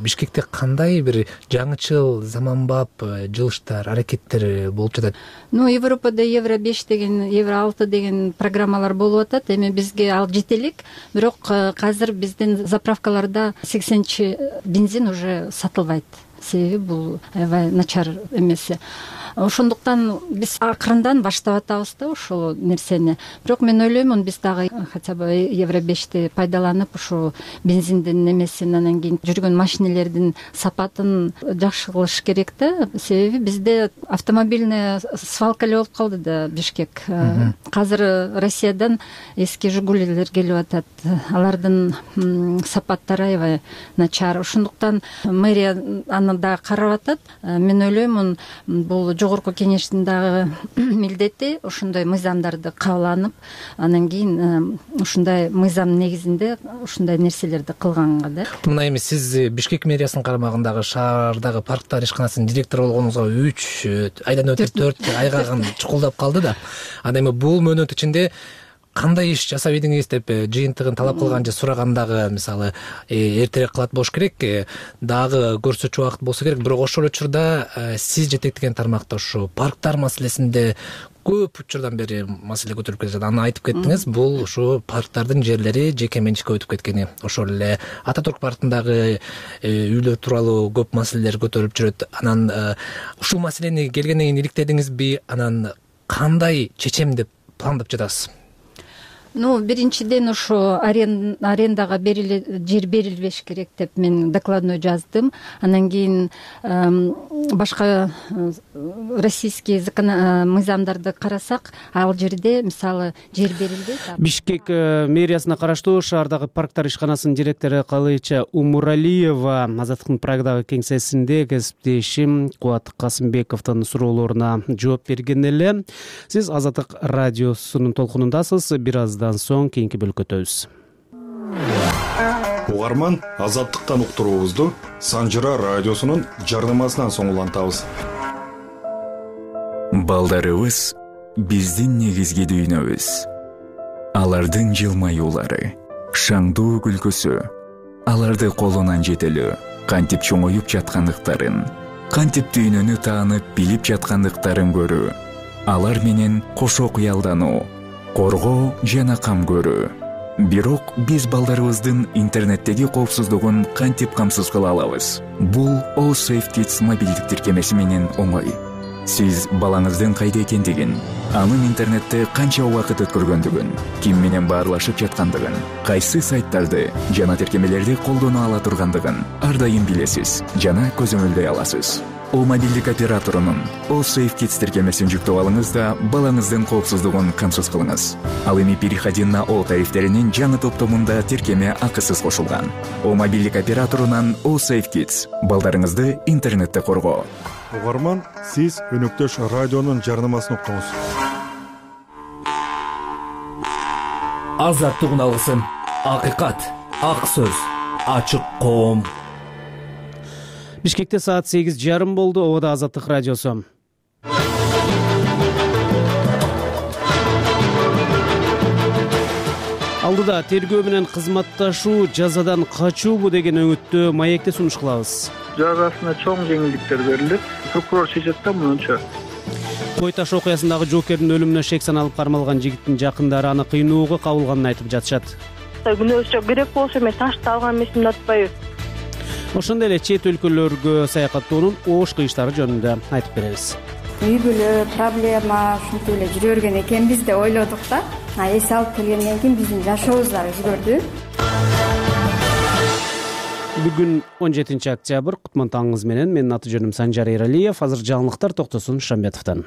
Бишкекте кандай бир жаңычыл, заманбап жылыштар, аракеттер болуп жатат? Европада Евро 5 деген, Евро 6 деген программалар болуп атат. Эми бизге ал жете элек, бирок азыр биздин заправкаларда 80-чи бензин уже сатылбайт. Себеби бул аябай начар эмеси. Ошондуктан биз акырындан баштап атабыз да ошол нерсени. Бирок мен ойлоймун, биз дагы хотя бы Евро 5ти пайдаланып, ошо бензиндин немесин, анан кийин жүргөн машинелердин сапатын жакшы кылыш керек да. Себеби бизде автомобильный свалка эле болуп калды да Бишкек. Азыр Россиядан эски Жигулилер келип атат. Алардын сапаттары аябай начар. Ошондуктан мэрия аны да карап атат. Мен ойлоймун, бул жогорку кеңештин дагы милдети ушундай мыйзамдарды кабыл, анан кийин ушундай мыйзам негизинде ушундай нерселерди кылганга да. Мына эми сиз Бишкек мэриясынын карамагындагы шаардагы парктар ишканасынын директору болгонуңузга 3 айдан өтүп 4 айга чукулдап калды да. Анан эми бул мөөнөт ичинде кандай иш жасап идиңиз деп жыйынтыгын талап кылган же сурагандагы, мисалы эртерээк кылат болуш керек, дагы көрсөтчү убакыт болсо керек. Бирок ошол учурда сиз жетектеген тармакта ушу парктар маселесинде көп учурдан бери маселе көтөрүлүп келе жатат. Аны айтып кеттиңиз, бул ушу парктардын жерлери жеке менчикке өтүп кеткени. Ошол эле Ататүрк паркындагы үйлөр тууралуу көп маселелер көтөрүлүп жүрөт. Анан ушул маселени келгенден кийин иликтедиңизби? Анан кандай чечем деп пландап жатасыз? Биринчиден ошо арендага жер берилбеш керек деп мен докладной жаздым. Анан кийин башка российский мыйзамдарды карасак, ал жерде мисалы жер берилбейт. Бишкек мэриясына караштуу шаардагы парктар ишканасынын директору Калыча Умуралиева Азаттыктын Прагдагы кеңсесинде кесиптешим Кубат Касымбековдун суроолоруна жооп берген эле. Сиз Азаттык радиосунун толкунундасыз. Бир аздан соң кийинки бөлүккө өтөбүз. Угарман, Азаттыктан уктуруубузду Санжыра радиосунун жарнамасынан соң улантабыз. Балдарыбыз биздин негизги дүйнөбүз. Алардын жылмаюулары, шаңдуу күлкүсү, аларды колунан жетелөө, кантип чоңоюп жаткандыктарын, кантип дүйнөнү таанып билип жаткандыктарын көрүү, алар менен кошо кыялдануу, коргоо жана кам көрүү. Бирок биз балдарыбыздын интернеттеги коопсуздугун кантип камсыз кыла алабыз? Бул All Safe Kids мобилдик тиркемеси менен оңой. Сиз балаңыздын кайда экендигин, анын интернетте канча убакыт өткөргөндүгүн, ким менен баарлашып жаткандыгын, кайсы сайттарды жана тиркемелерди колдоно ала тургандыгын ар дайым билесиз жана көзөмөлдөй аласыз. О мобилдик операторунун All Safe Kids тиркемесин жүктөп алыңыз да балаңыздын коопсуздугун камсыз кылыңыз. Ал эми переходин на О тарифтеринин жаңы топтомунда тиркеме акысыз кошулган. О мобилдик операторунан All Safe Kids балдарыңызды интернетте коргоо. Угарман, сиз өнөктөш радионун жарнамасын уктуңуз. Азаттык алгысын, акыйкат, ак сөз, ачык коом. Бишкекте саат 8:30 болду. Обода Азаттык радиосу. Алдыда тергөө менен кызматташуу жазадан качуубу деген өңүттү маекте сунуш кылабыз. Жазасына чоң жеңилдиктер берилет. Прокурор чечет да мынча. Кой таш окуясындагы жоокердин өлүмүнө шек саналып кармалган жигиттин жакындары аны кыйноого кабылганын айтып жатышат. Күнөөсү керек болсо мен ташты алган эмесмин деп атпайбы. Ошондой эле чет өлкөлөргө саякаттоонун оош кыйыштары жөнүндө айтып беребиз. Үй бүлө проблема ушинтип эле жүрө берген экенбиз деп ойлодук да. Эс алып келгенден кийин биздин жашообуз дагы өзгөрдү. Бүгүн 17 октябрь, кутман таңыңыз менен. Менин аты жөнүм Санжар Эралиев. Азыр жаңылыктар Токтосун Шамбетовдон.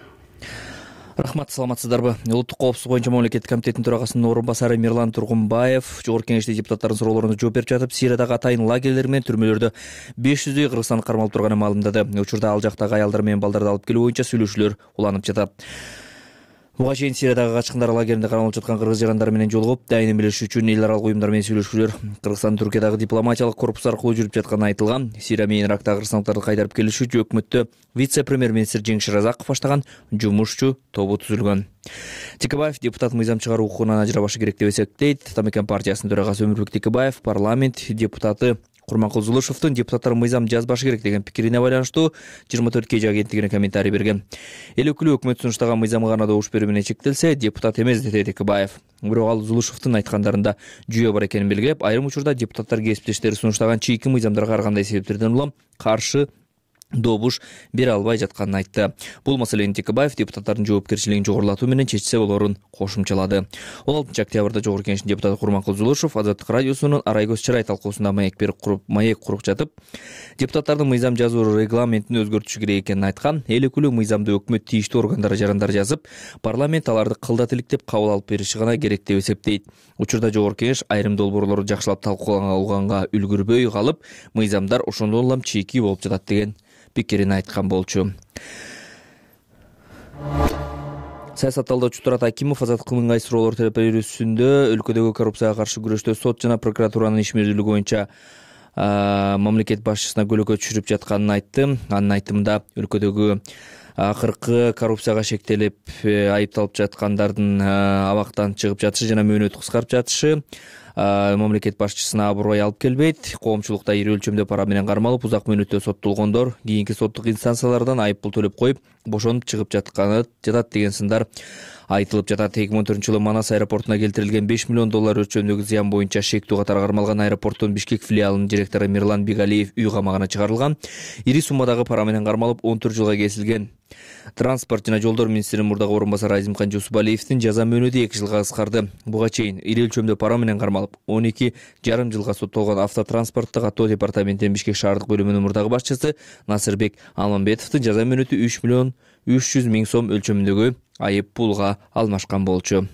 Рахмат, саламатсыздарбы? Улуттук коопсуздук боюнча мамлекеттик комитеттин төрагасынын орун басары Мирлан Тургунбаев Жогорку Кеңеште депутаттардын суроолоруна жооп берип жатып, Сириядагы атайын лагерлер менен түрмөлөрдө 500дөй кыргызстандык кармалып турганын маалымдады. Учурда ал жактагы аялдар менен балдарды алып келүү боюнча сүйлөшүүлөр уланып жатат. Буга чейин Сириядагы качкындар лагеринде кармалып жаткан кыргыз жарандары менен жолугуп, дайынын билиши үчүн эл аралык уюмдар менен сүйлөшүүлөр Кыргызстан Түркиядагы дипломатиялык корпус аркылуу жүрүп жатканы айтылган. Сирия менен Ирактагы кыргызстандыктарды кайтарып келиш үчүн өкмөттө вице-премьер-министр Жеңиш Разаков баштаган жумушчу тобу түзүлгөн. Текебаев депутат мыйзам чыгаруу укугунан ажырабашы керек деп эсептейт. Атамекен партиясынын төрагасы Өмүрбек Текебаев парламент депутаты Курманкул Зулушевдун депутаттар мыйзам жазбашы керек деген пикирине байланыштуу 24 KG агенттигине комментарий берген. Эл өкүлү өкмөт сунуштаган мыйзамга гана добуш берүү менен чектелсе, депутат эмес деди Текебаев. Бирок ал Зулушевдун айткандарында жүйө бар экенин белгилеп, айрым учурда депутаттар кесиптештери сунуштаган чийки мыйзамдарга ар кандай себептерден улам каршы добуш бере албай жатканын айтты. Бул маселени Текебаев депутаттардын жоопкерчилигин жогорулатуу менен чечсе болорун кошумчалады. 16 октябрда Жогорку Кеңештин депутаты Курманкул Зулушев Азаттык радиосунун Арай көз чырай талкуусунда маек куруп жатып, депутаттардын мыйзам жазуу регламентин өзгөртүшү керек экенин айткан. Эл өкүлү мыйзамды өкмөт тийиштүү органдары жарандар жазып, парламент аларды кылдат иликтеп кабыл алып бериши гана керек деп эсептейт. Учурда Жогорку Кеңеш айрым долбоорлорду жакшылап талкуулаганга үлгүрбөй калып, мыйзамдар ошондон улам чийки болуп жатат деген пикирин айткан болчу. Саясат талдоочу Турат Акимов Азаттыктын ыңгай суроолор берүүсүндө өлкөдөгү коррупцияга каршы күрөштө сот жана прокуратуранын ишмердүүлүгү боюнча мамлекет башчысына көлөкө түшүрүп жатканын айтты. Анын айтымында өлкөдөгү акыркы коррупцияга шектелип айыпталып жаткандардын абактан чыгып жатышы жана мөөнөтү кыскарып жатышы мамлекет башчысына аброй алып келбейт. Коомчулукта ири өлчөмдө пара менен кармалып, узак мөөнөттө соттолгондор кийинки соттук инстанциялардан айыппул төлөп коюп, бошонуп чыгып жатат деген сындар айтылып жатат. 2014-жылы Манас аэропортуна келтирилген $5 миллион өлчөмдөгү зыян боюнча шектүү катары кармалган аэропорттун Бишкек филиалынын директору Мирлан Бигалиев үй камагына чыгарылган. Ири суммадагы пара менен кармалып 14 жылга кесилген. Транспорт жана жолдор министринин мурдагы орун басары Азимкан Жусупалиевдин жаза мөөнөтү 2 жылга кыскарды. Буга чейин ири өлчөмдө пара менен кармалып 12,5 жылга соттолгон автотранспорттук каттоо департаментинин Бишкек шаардык бөлүмүнүн мурдагы башчысы Насырбек Алмамбетовдун жаза мөөнөтү 3,3 миллион сом өлчөмүндөгү айып пулга алмашкан болчу.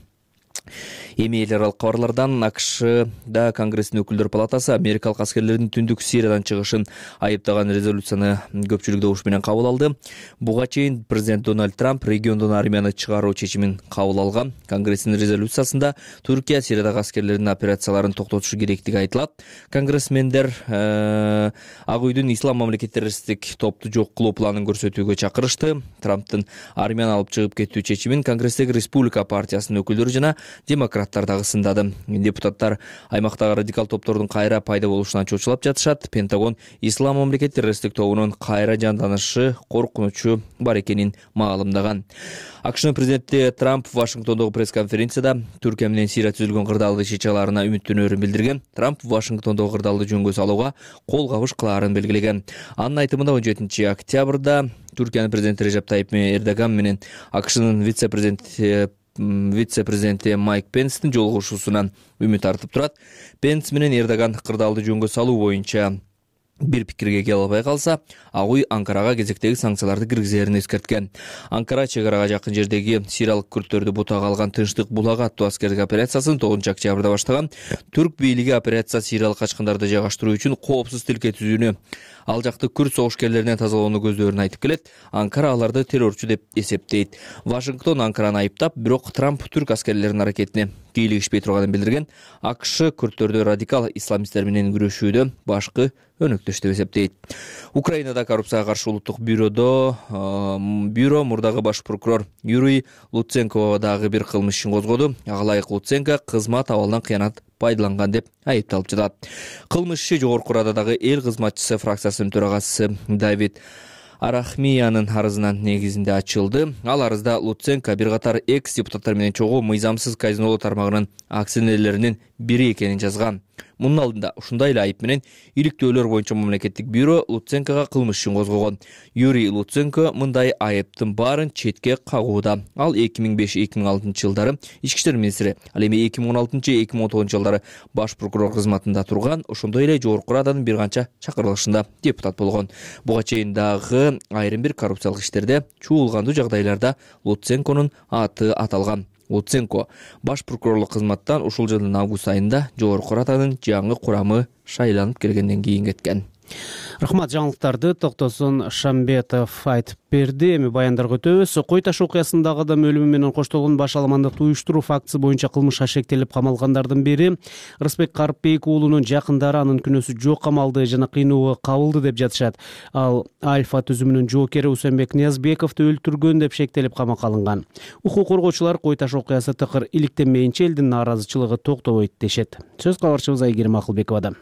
Эми эл аралык кабарлардан АКШда Конгресстин өкүлдөр палатасы америкалык аскерлердин түндүк Сириядан чыгышын айыптаган резолюцияны көпчүлүк добуш менен кабыл алды. Буга чейин президент Дональд Трамп региондон армияны чыгаруу чечимин кабыл алган. Конгресстин резолюциясында Түркия Сириядагы аскерлердин операцияларын токтотушу керектиги айтылат. Конгрессмендер Ак үйдүн ислам мамлекет террористтик топту жок кылуу планын көрсөтүүгө чакырышты. Трамптын армияны алып чыгып кетүү чечимин Конгресстеги Республика партиясынын өкүлдөрү жана демократтар дагы сындады. Депутаттар аймактагы радикал топтордун кайра пайда болушунан чочулап жатышат. Пентагон ислам мамлекет террористтик тобунун кайра жанданышы коркунучу бар экенин маалымдаган. АКШнын президенти Трамп Вашингтондогу пресс-конференцияда Түркия менен Сирия түзүлгөн кырдаалды чечаларына үмүттөнөрүн билдирген. Трамп Вашингтондогу кырдаалды жөнгө салууга кол кабыш кылаарын белгилеген. Анын айтымында 17 октябрда Түркиянын президенти Режеп Тайип Эрдоган менен АКШнын вице-президенти Майк Пенстин жолугушуусунан үмүт артып турат. Пенс менен Эрдоган кырдаалды жөнгө салуу боюнча бир пикирге келе албай калса, ак үй Анкарага кезектеги санкцияларды киргизерин эскерткен. Анкара чегарага жакын жердеги сириялык күрттөрдү бутага алган Тынчтык булагы аттуу аскердик операциясын 9 октябрда баштаган. Түрк бийлиги операция сириялык качкындарды жайгаштыруу үчүн коопсуз тилке түзүүнү, ал жакты күрт согушкерлеринен тазалоону көздөрүн айтып келет. Анкара аларды террорчу деп эсептейт. Вашингтон Анкараны айыптап, бирок Трамп түрк аскерлеринин аракетине кийлигишпей турганын билдирген. АКШ күрттөрдү радикал исламисттер менен күрөшүүдө башкы өнөктөш деп эсептейт. Украинада коррупцияга каршы улуттук бюро мурдагы баш прокурор Юрий Луценко дагы бир кылмыш ишин козгоду. Ага ылайык Луценко кызмат абалынан кыянат пайдаланган деп айыпталып жатат. Кылмыш иши Жогорку Рададагы эл кызматчысы фракциясынын төрагасы Давид Арахмиянын арызынын негизинде ачылды. Ал арызда Луценко бир катар экс-депутаттар менен чогуу мыйзамсыз казинолоо тармагынын акционерлеринин бири экенин жазган. Мунун алдында ушундай эле айып менен иликтөөлөр боюнча мамлекеттик бюро Луценкого кылмыш ишин козгогон. Юрий Луценко мындай айыптын баарын четке кагууда. Ал 2005-2006 жылдары ички иштер министри, ал эми 2016-2019 жылдары баш прокурор кызматында турган, ошондой эле Жогорку Раданын бир канча чакырылышында депутат болгон. Буга чейин дагы айрым бир коррупциялык иштерде чуулгандуу жагдайларда Луценконун аты аталган. Луценко баш прокурорлук кызматтан ушул жылдын август айында Жогорку Раданын жаңы курамы шайланып келгенден кийин кеткен. Рахмат, жаңылыктарды Токтосун Шамбетов айтып берди. Эми баяндарга өтөбүз. Кой таш окуясындагы адам өлүмү менен коштолгон баш аламандыкты уюштуруу фактысы боюнча кылмышка шектелип камалгандардын бири Рыспек Карыпбек уулунун жакындары анын күнөөсү жок камалды жана кыйноого кабылды деп жатышат. Ал Альфа түзүмүнүн жоокери Усенбек Ниязбековду өлтүргөн деп шектелип камакка алынган. Укук коргоочулар Кой таш окуясы тыкыр иликтенмейинче элдин нааразычылыгы токтобойт дешет. Сөз кабарчыбыз Айгерим Акылбековада.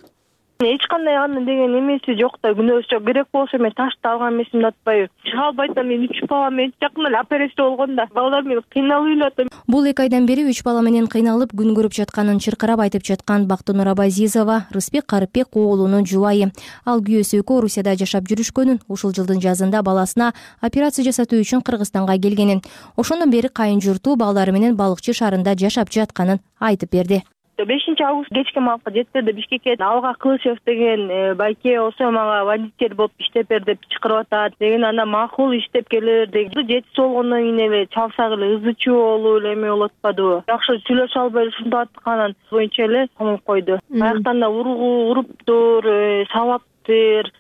Эч кандай анын деген эмеси жок да, күнөөсү жок. Керек болсо мен ташты алган эмесимди атпайбы. Албайт да, мен 3 бала менен жакында эле операция болгон да. Балдар менен кыйналып эле. Бул 2 айдан бери 3 бала менен кыйналып күн көрүп жатканын чыркырап айтып жаткан Бактынур Абазизова Рыспек Карыпбек уулунун жубайы. Ал күйөөсү экөө Орусияда жашап жүрүшкөнүн, ушул жылдын жазында баласына операция жасатуу үчүн Кыргызстанга келгенин, ошондон бери кайын журту балдары менен Балыкчы шаарында жашап жатканын айтып берди. 5 август кечки маалга жеттерде Бишкекке Алга Кылычев деген байке болсо мага водитель болуп иштеп бер деп чакырып атат деген, анда макул иштеп келер деген. Жетиси болгондон кийин эле чалсак эле ызы чуу болуп эле эме болуп атпадыбы. Жакшы сүйлөшө албай ушундай атканын боюнча эле камап койду. Аяктан да уруптур, сабаптыр,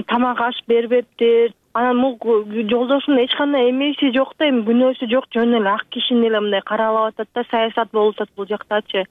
тамак аш бербептир. Анан бул жолдошунун эч кандай эмеси жок да, эми күнөөсү жок, жөн эле ак кишини эле мындай каралап атат да, саясат болуп атат бул жактачы.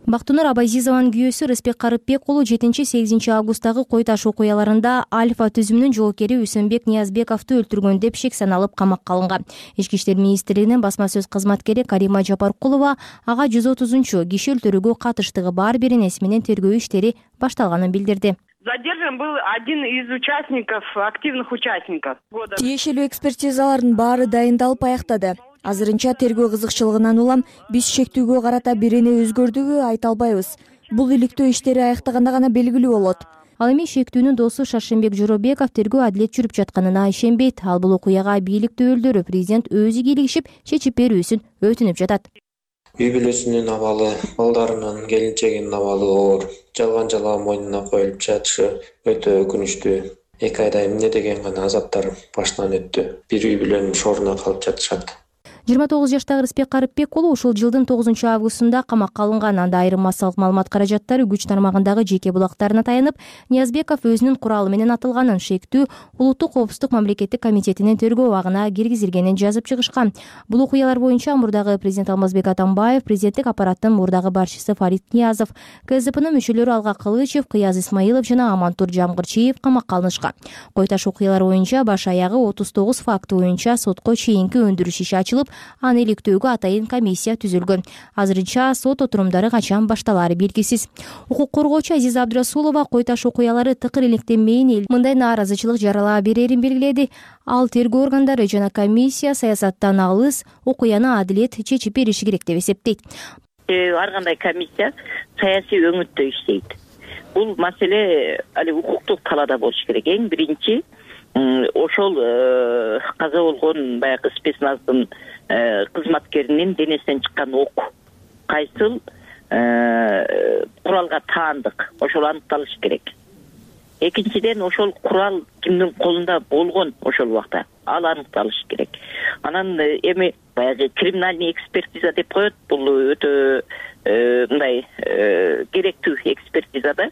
Бактынур Абазизованын күйөөсү Рыспек Карыпбек уулу 7-8 августтагы Кой таш окуяларында Альфа түзүмүнүн жоокери Усенбек Ниязбековду өлтүргөн деп шек саналып камакка алынган. Ички иштер министрлигинин басма сөз кызматкери Карима Жапаркулова ага 130 киши өлтүрүүгө катыштыгы бар беренеси менен тергөө иштери башталганын билдирди. Задержан был один из участников, активных участников. Тиешелүү экспертизалардын баары дайындалып аяктады. Азырынча тергөө кызыкчылыгынан улам биз шектүүгө карата бирене өзгөрдүбү айта албайбыз. Бул иликтөө иштери аяктаганда гана белгилүү болот. Ал эми шектүүнүн досу Шаршембек Жоробеков тергөө адилет жүрүп жатканына ишенбейт. Ал бул окуяга бийлик өкүлдөрү президент өзү кийлигишип чечип берүүсүн өтүнүп жатат. Үй бүлөсүнүн абалы, балдарынын, келинчегинин абалы оор. Жалган мойнуна коюлуп жатышы өтө өкүнүчтүү. 2 айда эмне деген гана азаптар башынан өттү. Бир үй бүлөнүн шоруна калып жатышат. 29 жаштагы Рыспек Карыпбек уулу ушул жылдын 9 августунда камакка алынган. Анда айрым массалык маалымат каражаттары күч тармагындагы жеке булактарына таянып, Ниязбеков өзүнүн куралы менен атылганын, шектүү улуттук коопсуздук мамлекеттик комитетинин тергөө абагына киргизилгенин жазып чыгышкан. Бул окуялар боюнча мурдагы президент Алмазбек Атамбаев, президенттик аппараттын мурдагы башчысы Фарид Ниязов, КСДПнын мүчөлөрү Алга Кылычев, Кыяз Исмаилов жана Амантур Жамгырчиев камакка алынышкан. Кой таш окуялар боюнча баш аягы 39 факты боюнча сотко чейинки өндүрүш иши ачылып, аны иликтөөгө атайын комиссия түзүлгөн. Азырынча сот отурумдары качан башталаары белгисиз. Укук коргоочу Азиза Абдрасулова кой таш окуялары тыкыр иликтенмейин мындай нааразычылык жаралаа берерин белгиледи. Ал тергөө органдары жана комиссия саясаттан алыс окуяны адилет чечип бериши керек деп эсептейт. Ар кандай комиссия саясий өңүттө иштейт. Бул маселе укуктук талаада болуш керек. Эң биринчи ошол каза болгон баягы спецназдын кызматкеринин денесинен чыккан ок кайсыл куралга таандык, ошол аныкталыш керек. Экинчиден ошол курал кимдин колунда болгон ошол убакта ал аныкталыш керек. Анан эми баягы криминальный экспертиза деп коет. Бул өтө мындай керектүү экспертизада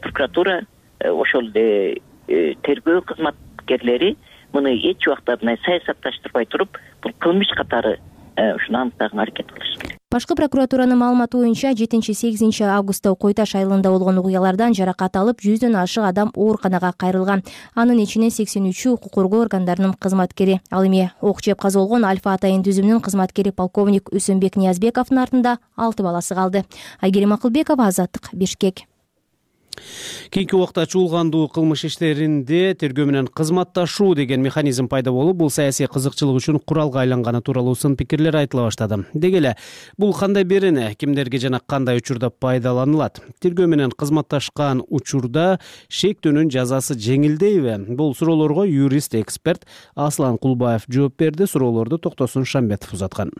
прокуратура ошол тергөө кызматкерлери муну эч убакта мындай саясатташтырбай туруп, бул кылмыш катары ушуну аныктаганга аракет кылыш керек. Башкы прокуратуранын маалыматы боюнча 7-8 августта Кой Таш айылында болгон окуялардан жаракат алып 100дөн ашык адам ооруканага кайрылган. Анын ичинен 83 укук коргоо органдарынын кызматкери. Ал эми ок жеп каза болгон Альфа атайын түзүмүнүн кызматкери полковник Үсөнбек Ниязбековдун артында 6 баласы калды. Айгерим Акылбекова, Азаттык, Бишкек. Кийинки убакта чуулгандуу кылмыш иштеринде тергөө менен кызматташуу деген механизм пайда болуп, бул саясий кызыкчылык үчүн куралга айланганы тууралуу сын пикирлер айтыла баштады. Деги эле бул кандай берене, кимдерге жана кандай учурда пайдаланылат? Тергөө менен кызматташкан учурда шектөөнүн жазасы жеңилдейби? Бул суроолорго юрист-эксперт Аслан Кулбаев жооп берди. Суроолорду Токтосун Шамбетов узаткан.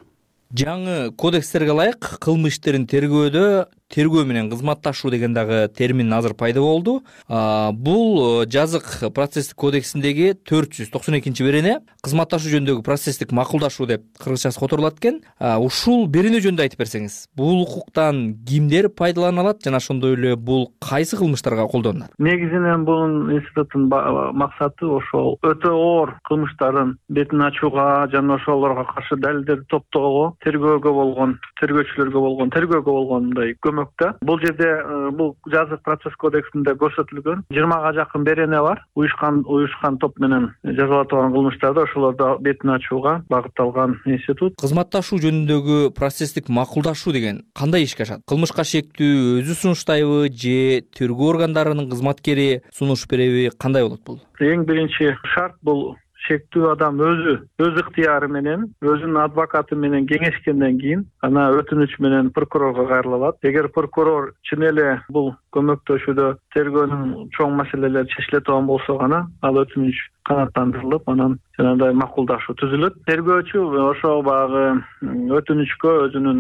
Жаңы кодекстерге ылайык кылмыш иштерин тергөөдө тергөө менен кызматташуу деген дагы термин азыр пайда болду. Бул жазык процесстик кодексиндеги 492 берене кызматташуу жөнүндөгү процесстик макулдашуу деп кыргызчасы которулат экен. Ушул берене жөнүндө айтып берсеңиз, бул укуктан кимдер пайдалана алат жана ошондой эле бул кайсы кылмыштарга колдонулат? Негизинен бул институттун максаты ошол өтө оор кылмыштардын бетин ачууга жана ошолорго каршы далилдерди топтоого, тергөөгө болгон, тергөөчүлөргө болгон, тергөөгө болгон мындай көмөктө. Бул жерде бул жазык процесс кодексинде көрсөтүлгөн 20га жакын берене бар. Уюшкан топ менен жазалатылган кылмыштарда ошолорду бетин ачууга багытталган институт. Кызматташуу жөнүндөгү процесстик макулдашуу деген кандай ишке ашат? Кылмышка шектүү өзү сунуштайбы же тергөө органдарынын кызматкери сунуш береби, кандай болот бул? Эң биринчи шарт бул шектүү адам өз ыктыяры менен, өзүнүн адвокаты менен кеңешкенден кийин ана өтүнүч менен прокурорго кайрыла алат. Эгер прокурор чын эле бул көмөктөшүүдө тергөөнүн чоң маселелери чечиле турган болсо гана ал өтүнүч канааттандырылып, анан жанагындай макулдашуу түзүлөт. Тергөөчү ошо багы өтүнүчкө өзүнүн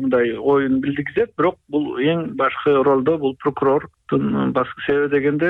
мындай оюн билдиргизет, бирок бул эң башкы ролдо бул прокурордун башкы себеби дегенде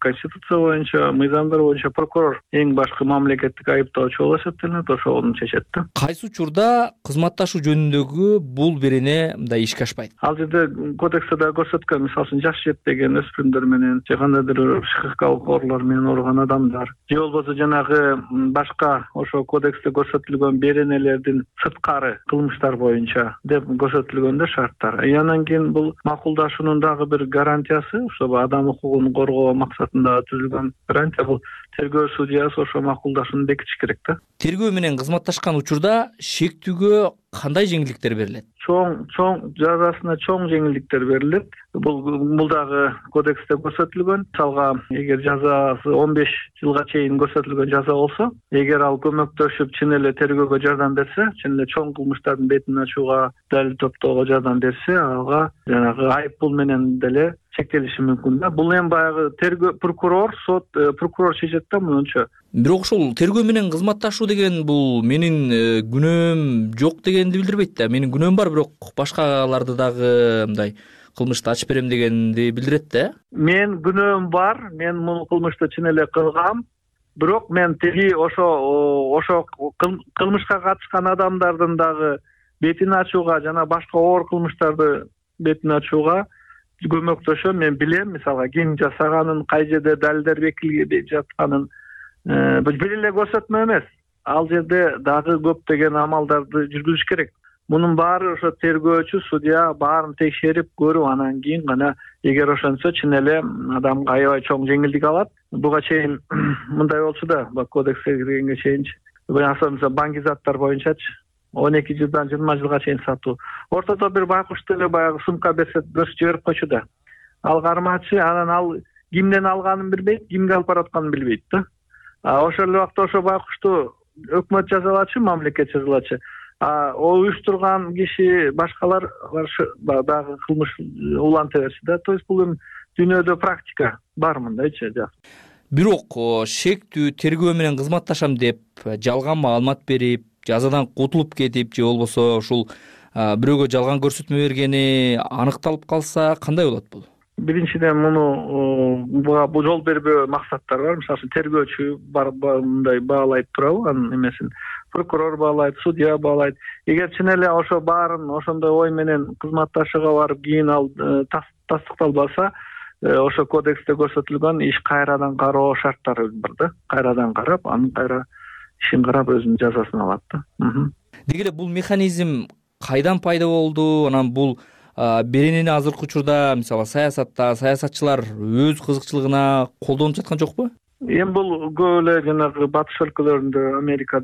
конституция боюнча, мыйзамдар боюнча прокурор эң башкы мамлекеттик айыптоочу болуп эсептелет, ошону чечет да. Кайсы учурда кызматташуу жөнүндөгү бул берене мындай ишке ашпайт? Ал жерде кодексте да көрсөткөн, мисалы үчүн жаш жетпеген өспүрүмдөр менен же кандайдыр психикалык оорулар менен ооруган адамдар же болбосо жанагы башка ошо кодексте көрсөтүлгөн беренелердин сырткары кылмыштар боюнча деп көрсөтүлгөндө шарттар. Анан кийин бул макулдашуунун дагы бир гарантиясы, ошо адам укугун коргоо максатында түзүлгөн гарантия, бул тергөө судьясы ошо макулдашууну бекитиш керек да. Тергөө менен кызматташкан учурда шектүүгө кандай жеңилдиктер берилет? Чоң жазасына чоң жеңилдиктер берилет. Бул дагы кодексте көрсөтүлгөн. Мисалга, эгер жазасы 15 жылга чейин көрсөтүлгөн жаза болсо, эгер ал көмөктөшүп чын эле тергөөгө жардам берсе, чын эле чоң кылмыштардын бетин ачууга, далил топтоого жардам берсе, ага жанагы айып пул менен деле чектелиши мүмкүн да. Бул эми баягы тергөө прокурор, сот прокурор чечет да мынча. Бирок ошол тергөө менен кызматташуу деген бул менин күнөөм жок дегенди билдирбейт да. Менин күнөөм бар, бирок башкаларды дагы мындай кылмышты ачып берем дегенди билдирет да. Мен күнөөм бар, мен бул кылмышты чын эле кылгам. Бирок мен теги ошо кылмышка катышкан адамдардын дагы бетин ачууга жана башка оор кылмыштарды бетин ачууга көмөктөшөм. Мен билем, мисалга ким жасаганын, кай жерде далилдер бекилип жатканын бир эле көрсөтмө эмес. Ал жерде дагы көптөгөн амалдарды жүргүзүш керек. Мунун баары ошо тергөөчү, судья баарын текшерип көрүп, анан кийин гана эгер ошонсо чын эле адамга аябай чоң жеңилдик алат. Буга чейин мындай болчу да, кодекске киргенге чейин мисалы баңгизаттар боюнчачы 12 жылдан 20 жылга чейин сатуу. Ортодо бир байкушту эле баягы сумка берсе көрсөтүп жиберип койчу да. Ал кармачы, анан ал кимден алганын билбейт, кимге алып баратканын билбейт да. Ошол эле убакта ошо байкушту өкмөт жазалачы, мамлекет жазалачы. Уюштурган киши башкалар дагы кылмыш уланта берчү да. То есть бул эми дүйнөдө практика бар мындайчы. Бирок шектүү тергөө менен кызматташам деп жалган маалымат берип, жазадан кутулуп кетип же болбосо ушул бирөөгө жалган көрсөтмө бергени аныкталып калса кандай болот бул? Биринчиден муну жол бербөө максаттар бар. Мисалы үчүн тергөөчү мындай баалайт турабы, анын эмесин прокурор баалайт, судья баалайт. Эгер чын эле ошо баарын ошондой ой менен кызматташууга барып, кийин ал тастыкталбаса, ошо кодексте көрсөтүлгөн иш кайрадан кароо шарттары бар да. Кайрадан карап, анын кайра ишин карап өзүнүн жазасын алат да. Деги эле бул механизм кайдан пайда болду? Анан бул беренени азыркы учурда мисалы саясатта саясатчылар өз кызыкчылыгына колдонуп жаткан жокпу? Эми бул көп эле жанагы батыш өлкөлөрүндө, Америка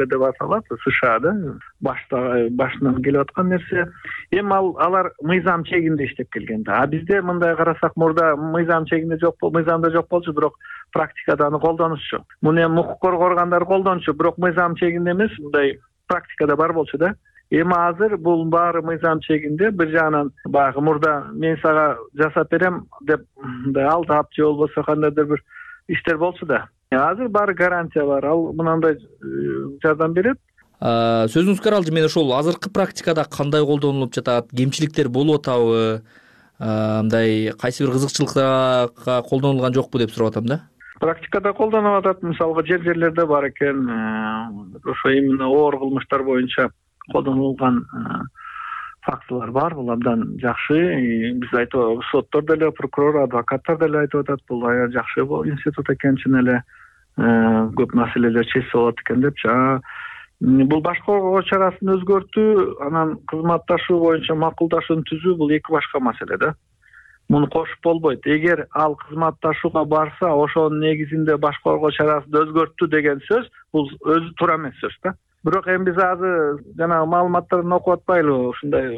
деп аталат, СШАда башынан келип аткан нерсе. Эми алар мыйзам чегинде иштеп келген да. Бизде мындай карасак, мурда мыйзам чегинде жок болду, мыйзамда жок болчу, бирок практикада аны колдонушчу. Муну эми укук коргоо органдары колдончу, бирок мыйзам чегинде эмес, мындай практикада бар болчу да. Эми азыр бул баары мыйзам чегинде. Бир жагынан баягы мурда мен сага жасап берем деп мындай алдап же болбосо кандайдыр бир иштер болчу да. Азыр баары гарантия бар. Ал мынандай жардам берет. Сөзүңүзгө аралжы, мен ошол азыркы практикада кандай колдонулуп жатат, кемчиликтер болуп атабы, мындай кайсы бир кызыкчылыкка колдонулган жокпу деп сурап атам да. Практикада колдонуп атат. Мисалга жерлерде бар экен, ошо именно оор кылмыштар боюнча колдонулган фактылар бар. Бул абдан жакшы. Биз айтып, соттор деле, прокурор, адвокаттар деле айтып атат, бул аябай жакшы институт экен, чын эле көп маселелер чечсе болот экен депчи. Бул баш коргоо чарасын өзгөртүү, анан кызматташуу боюнча макулдашууну түзүү, бул эки башка маселе да. Муну кошуп болбойт. Эгер ал кызматташууга барса, ошонун негизинде баш коргоо чарасын өзгөрттү деген сөз, бул өзү туура эмес сөз да. Бирок эми биз азыр жанагы маалыматтарын окуп атпайлыбы, ушундай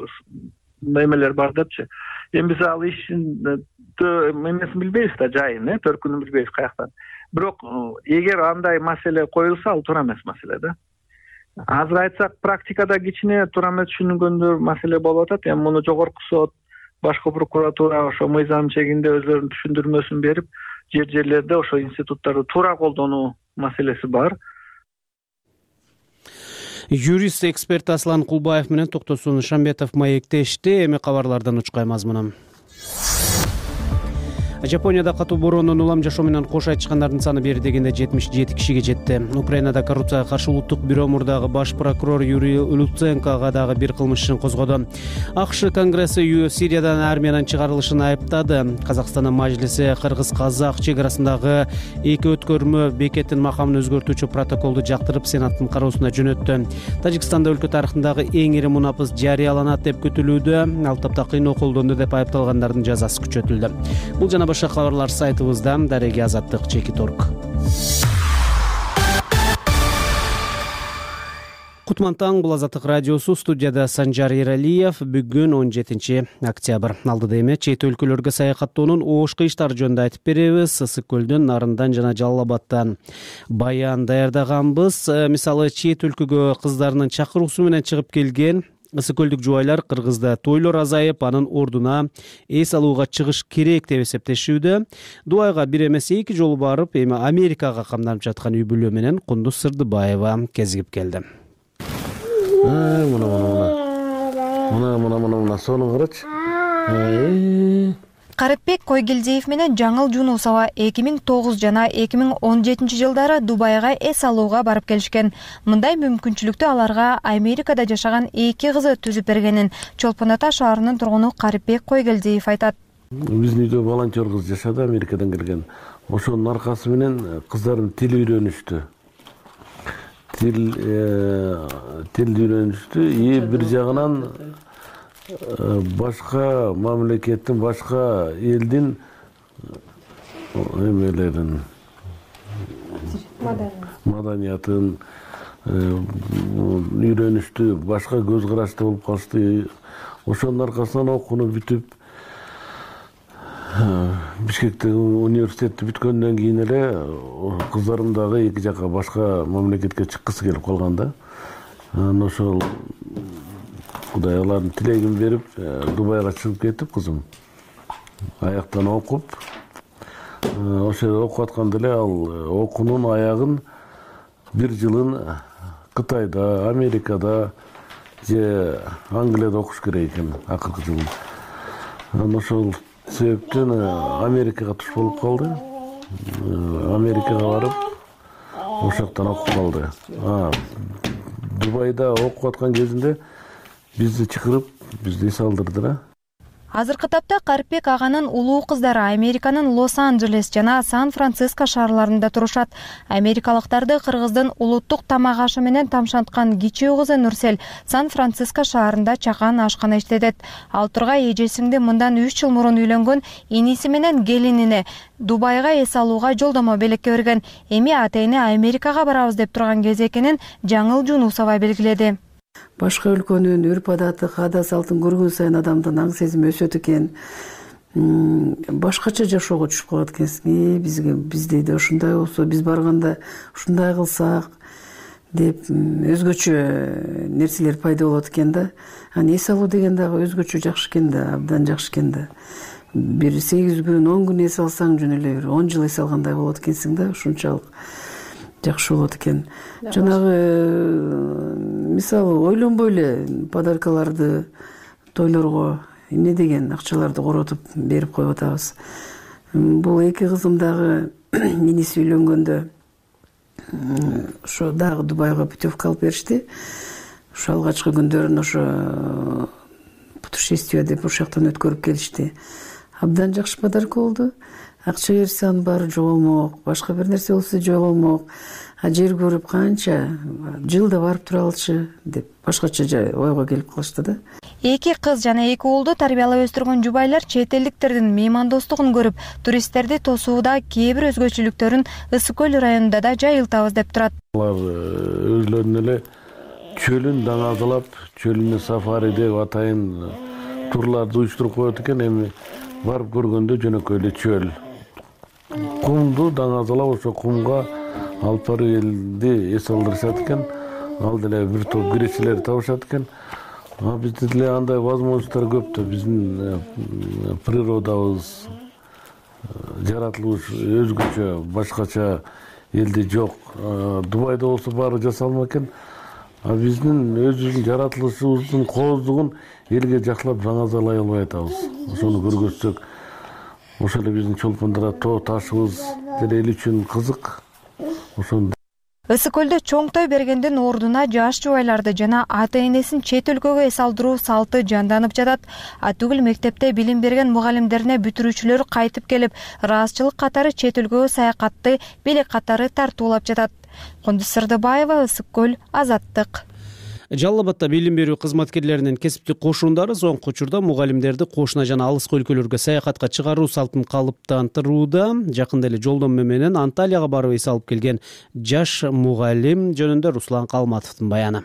эмелер бар депчи. Эми биз ал иштин эмесин билбейбиз да, жайын, төркүнүн билбейбиз каяктан. Бирок эгер андай маселе коюлса, ал туура эмес маселе да. Азыр айтсак, практикада кичине туура эмес түшүнгөндөр маселе болуп атат. Эми муну жогорку сот, башкы прокуратура ошо мыйзам чегинде өзлөрүнүн түшүндүрмөсүн берип, жерлерде ошо институттарды туура колдонуу маселеси бар. Юрист эксперт Аслан Кулбаев менен Токтосун Шамбетов маектешти. Эми кабарлардан учкай мазмуну. Жапонияда катуу бороондон улам жашоо менен кош айтышкандардын саны бери дегенде 77 кишиге жетти. Украинада коррупцияга каршы улуттук бюро мурдагы баш прокурор Юрий Луценкого дагы бир кылмыш ишин козгоду. АКШ Конгресси Сириядан армиядан чыгарылышын айыптады. Казакстандын мажлиси кыргыз-казак чек арасындагы эки өткөрмө бекеттин макамын өзгөртүүчү протоколду жактырып Сенаттын кароосуна жөнөттү. Тажикстанда өлкө тарыхындагы эң ири мунапыс жарыяланат деп күтүлүүдө. Ал тапта кыйноо колдонду деп айыпталгандардын жазасы күчөтүлдү. Бул жана башка кабарлар сайтыбызда Дареги Азаттык /org. Кутман таң, бул Азаттык радиосу, студияда Санжар Эралиев. Бүгүн 17 октябрь. Алдыда эми чет өлкөлөргө саякаттоонун ош кыйыштары жөнүндө айтып беребиз. Ысык көлдөн, Нарындан жана Жалал Абадтан баян даярдаганбыз. Мисалы, чет өлкөгө кыздарынын чакыруусу менен чыгып келген ысык көлдүк жубайлар Кыргызда тойлор азайып, анын ордуна эс алууга чыгыш керек деп эсептешүүдө. Дубайга бир эмес эки жолу барып, эми Америкага камданып жаткан үй бүлө менен Кундуз Сырдыбаева кезигип келди. Мына сону карачы. Карыпбек Койгелдиев менен Жаңыл Жунусова 2009 жана 2017 жылдары Дубайга эс алууга барып келишкен. Мындай мүмкүнчүлүктү аларга Америкада жашаган эки кызы түзүп бергенин Чолпон Ата шаарынын тургуну Карыпбек Койгелдиев айтат. Биздин үйдө волонтер кыз жашады, Америкадан келген. Ошонун аркасы менен кыздарым тил үйрөнүштү. Тил үйрөнүштү. Бир жагынан башка мамлекеттин, башка элдин эмелерин, маданиятын үйрөнүштү, башка көз карашты болуп калышты. Ошонун аркасынан окууну бүтүп Бишкектеги университетти бүткөндөн кийин эле кыздарым дагы эки жака башка мамлекетке чыккысы келип калган да. Анан ошол Кудай алардын тилегин берип, Дубайга чыгып кетип, кызым аяктан окуп, ошол жерде окуп атканда эле ал окуунун аягын бир жылын Кытайда, Америкада же Англияда окуш керек экен акыркы жылын. Анан ошол себептен Америкага туш болуп калды. Америкага барып, ошол жактан окуп калды. Дубайда окуп аткан кезинде бизди чакырып, бизди эс алдырды да. Азыркы тапта Карипбек аганын улуу кыздары Американын Лос-Анджелес жана Сан-Франциско шаарларында турушат. Америкалыктарды кыргыздын улуттук тамак ашы менен тамшанткан кичүү кызы Нурсел Сан-Франциско шаарында чакан ашкана иштетет. Ал Тургай эжесиңди мындан 3 жыл мурун үйлөнгөн иниси менен келинине Дубайга эс алууга жолдомо белекке берген. Эми атайыны Америкага барабыз деп турган кез экенин Жаңыл Жунусова белгиледи. Башка өлкөнүн үрп-адаты, каада салтын көргөн сайын адамдын аң сезими өсөт экен. Башкача жашоого түшүп калат экенсиң. Бизде да ушундай болсо, биз барганда ушундай кылсак деп өзгөчө нерселер пайда болот экен да. Аны эс алуу деген дагы өзгөчө жакшы экен да, абдан жакшы экен да. Бир 8 күн, 10 күн эс алсаң жөн эле бир 10 жыл эс алгандай болот экенсиң да, ушунчалык жакшы болот экен. Жанагы мисалы ойлонбой эле подаркаларды тойлорго эмне деген акчаларды коротуп берип коюп атабыз. Бул эки кызым дагы иниси үйлөнгөндө ошо дагы Дубайга путевка алып беришти. Ошо алгачкы күндөрүн ошо путешествие деп ошол жактан өткөрүп келишти. Абдан жакшы подарка болду. Акча берсе анын баары жоголмок, башка бир нерсе болсо жоголмок. Жер көрүп канча жылда барып тура алчы деп башкача ойго келип калышты да. Эки кыз жана эки уулду тарбиялап өстүргөн жубайлар чет элдиктердин меймандостугун көрүп, туристтерди тосууда кээ бир өзгөчөлүктөрүн Ысык көл районунда да жайылтабыз деп турат. Алар өзлөрүнүн эле чөлүн даңазалап, чөлүнө сафари деп атайын турларды уюштуруп коет экен. Эми барып көргөндө жөнөкөй эле чөл. Кумду даңазалап, ошо кумга алып барып элди эс алдырышат экен. Ал деле бир топ кирешелер табышат экен. Бизде деле андай возможностьтор көп да. Биздин природабыз, жаратылыш өзгөчө, башкача элде жок. Дубайда болсо баары жасалма экен. Биздин өзүбүздүн жаратылышыбыздын кооздугун элге жакшылап даңазалай албай атабыз. Ошону көргөзсөк, ошол эле биздин чолпондора тоо ташыбыз деле эл үчүн кызык. Ысык көлдө чоң той бергендин ордуна жаш жубайларды жана ата-энесин чет өлкөгө эс алдыруу салты жанданып жатат. Түгүл мектепте билим берген мугалимдерине бүтүрүүчүлөр кайтып келип, ыраазычылык катары чет өлкөгө саякатты белек катары тартуулап жатат. Кондуз Сырдыбаева, Ысык көл, Азаттык. Жалал Абадта билим берүү кызматкерлеринин кесиптик кошуундары соңку учурда мугалимдерди кошуна жана алыскы өлкөлөргө саякатка чыгаруу салтын калыптандырууда. Жакында эле жолдомо менен Анталияга барып эс алып келген жаш мугалим жөнүндө Руслан Калматовдун баяны.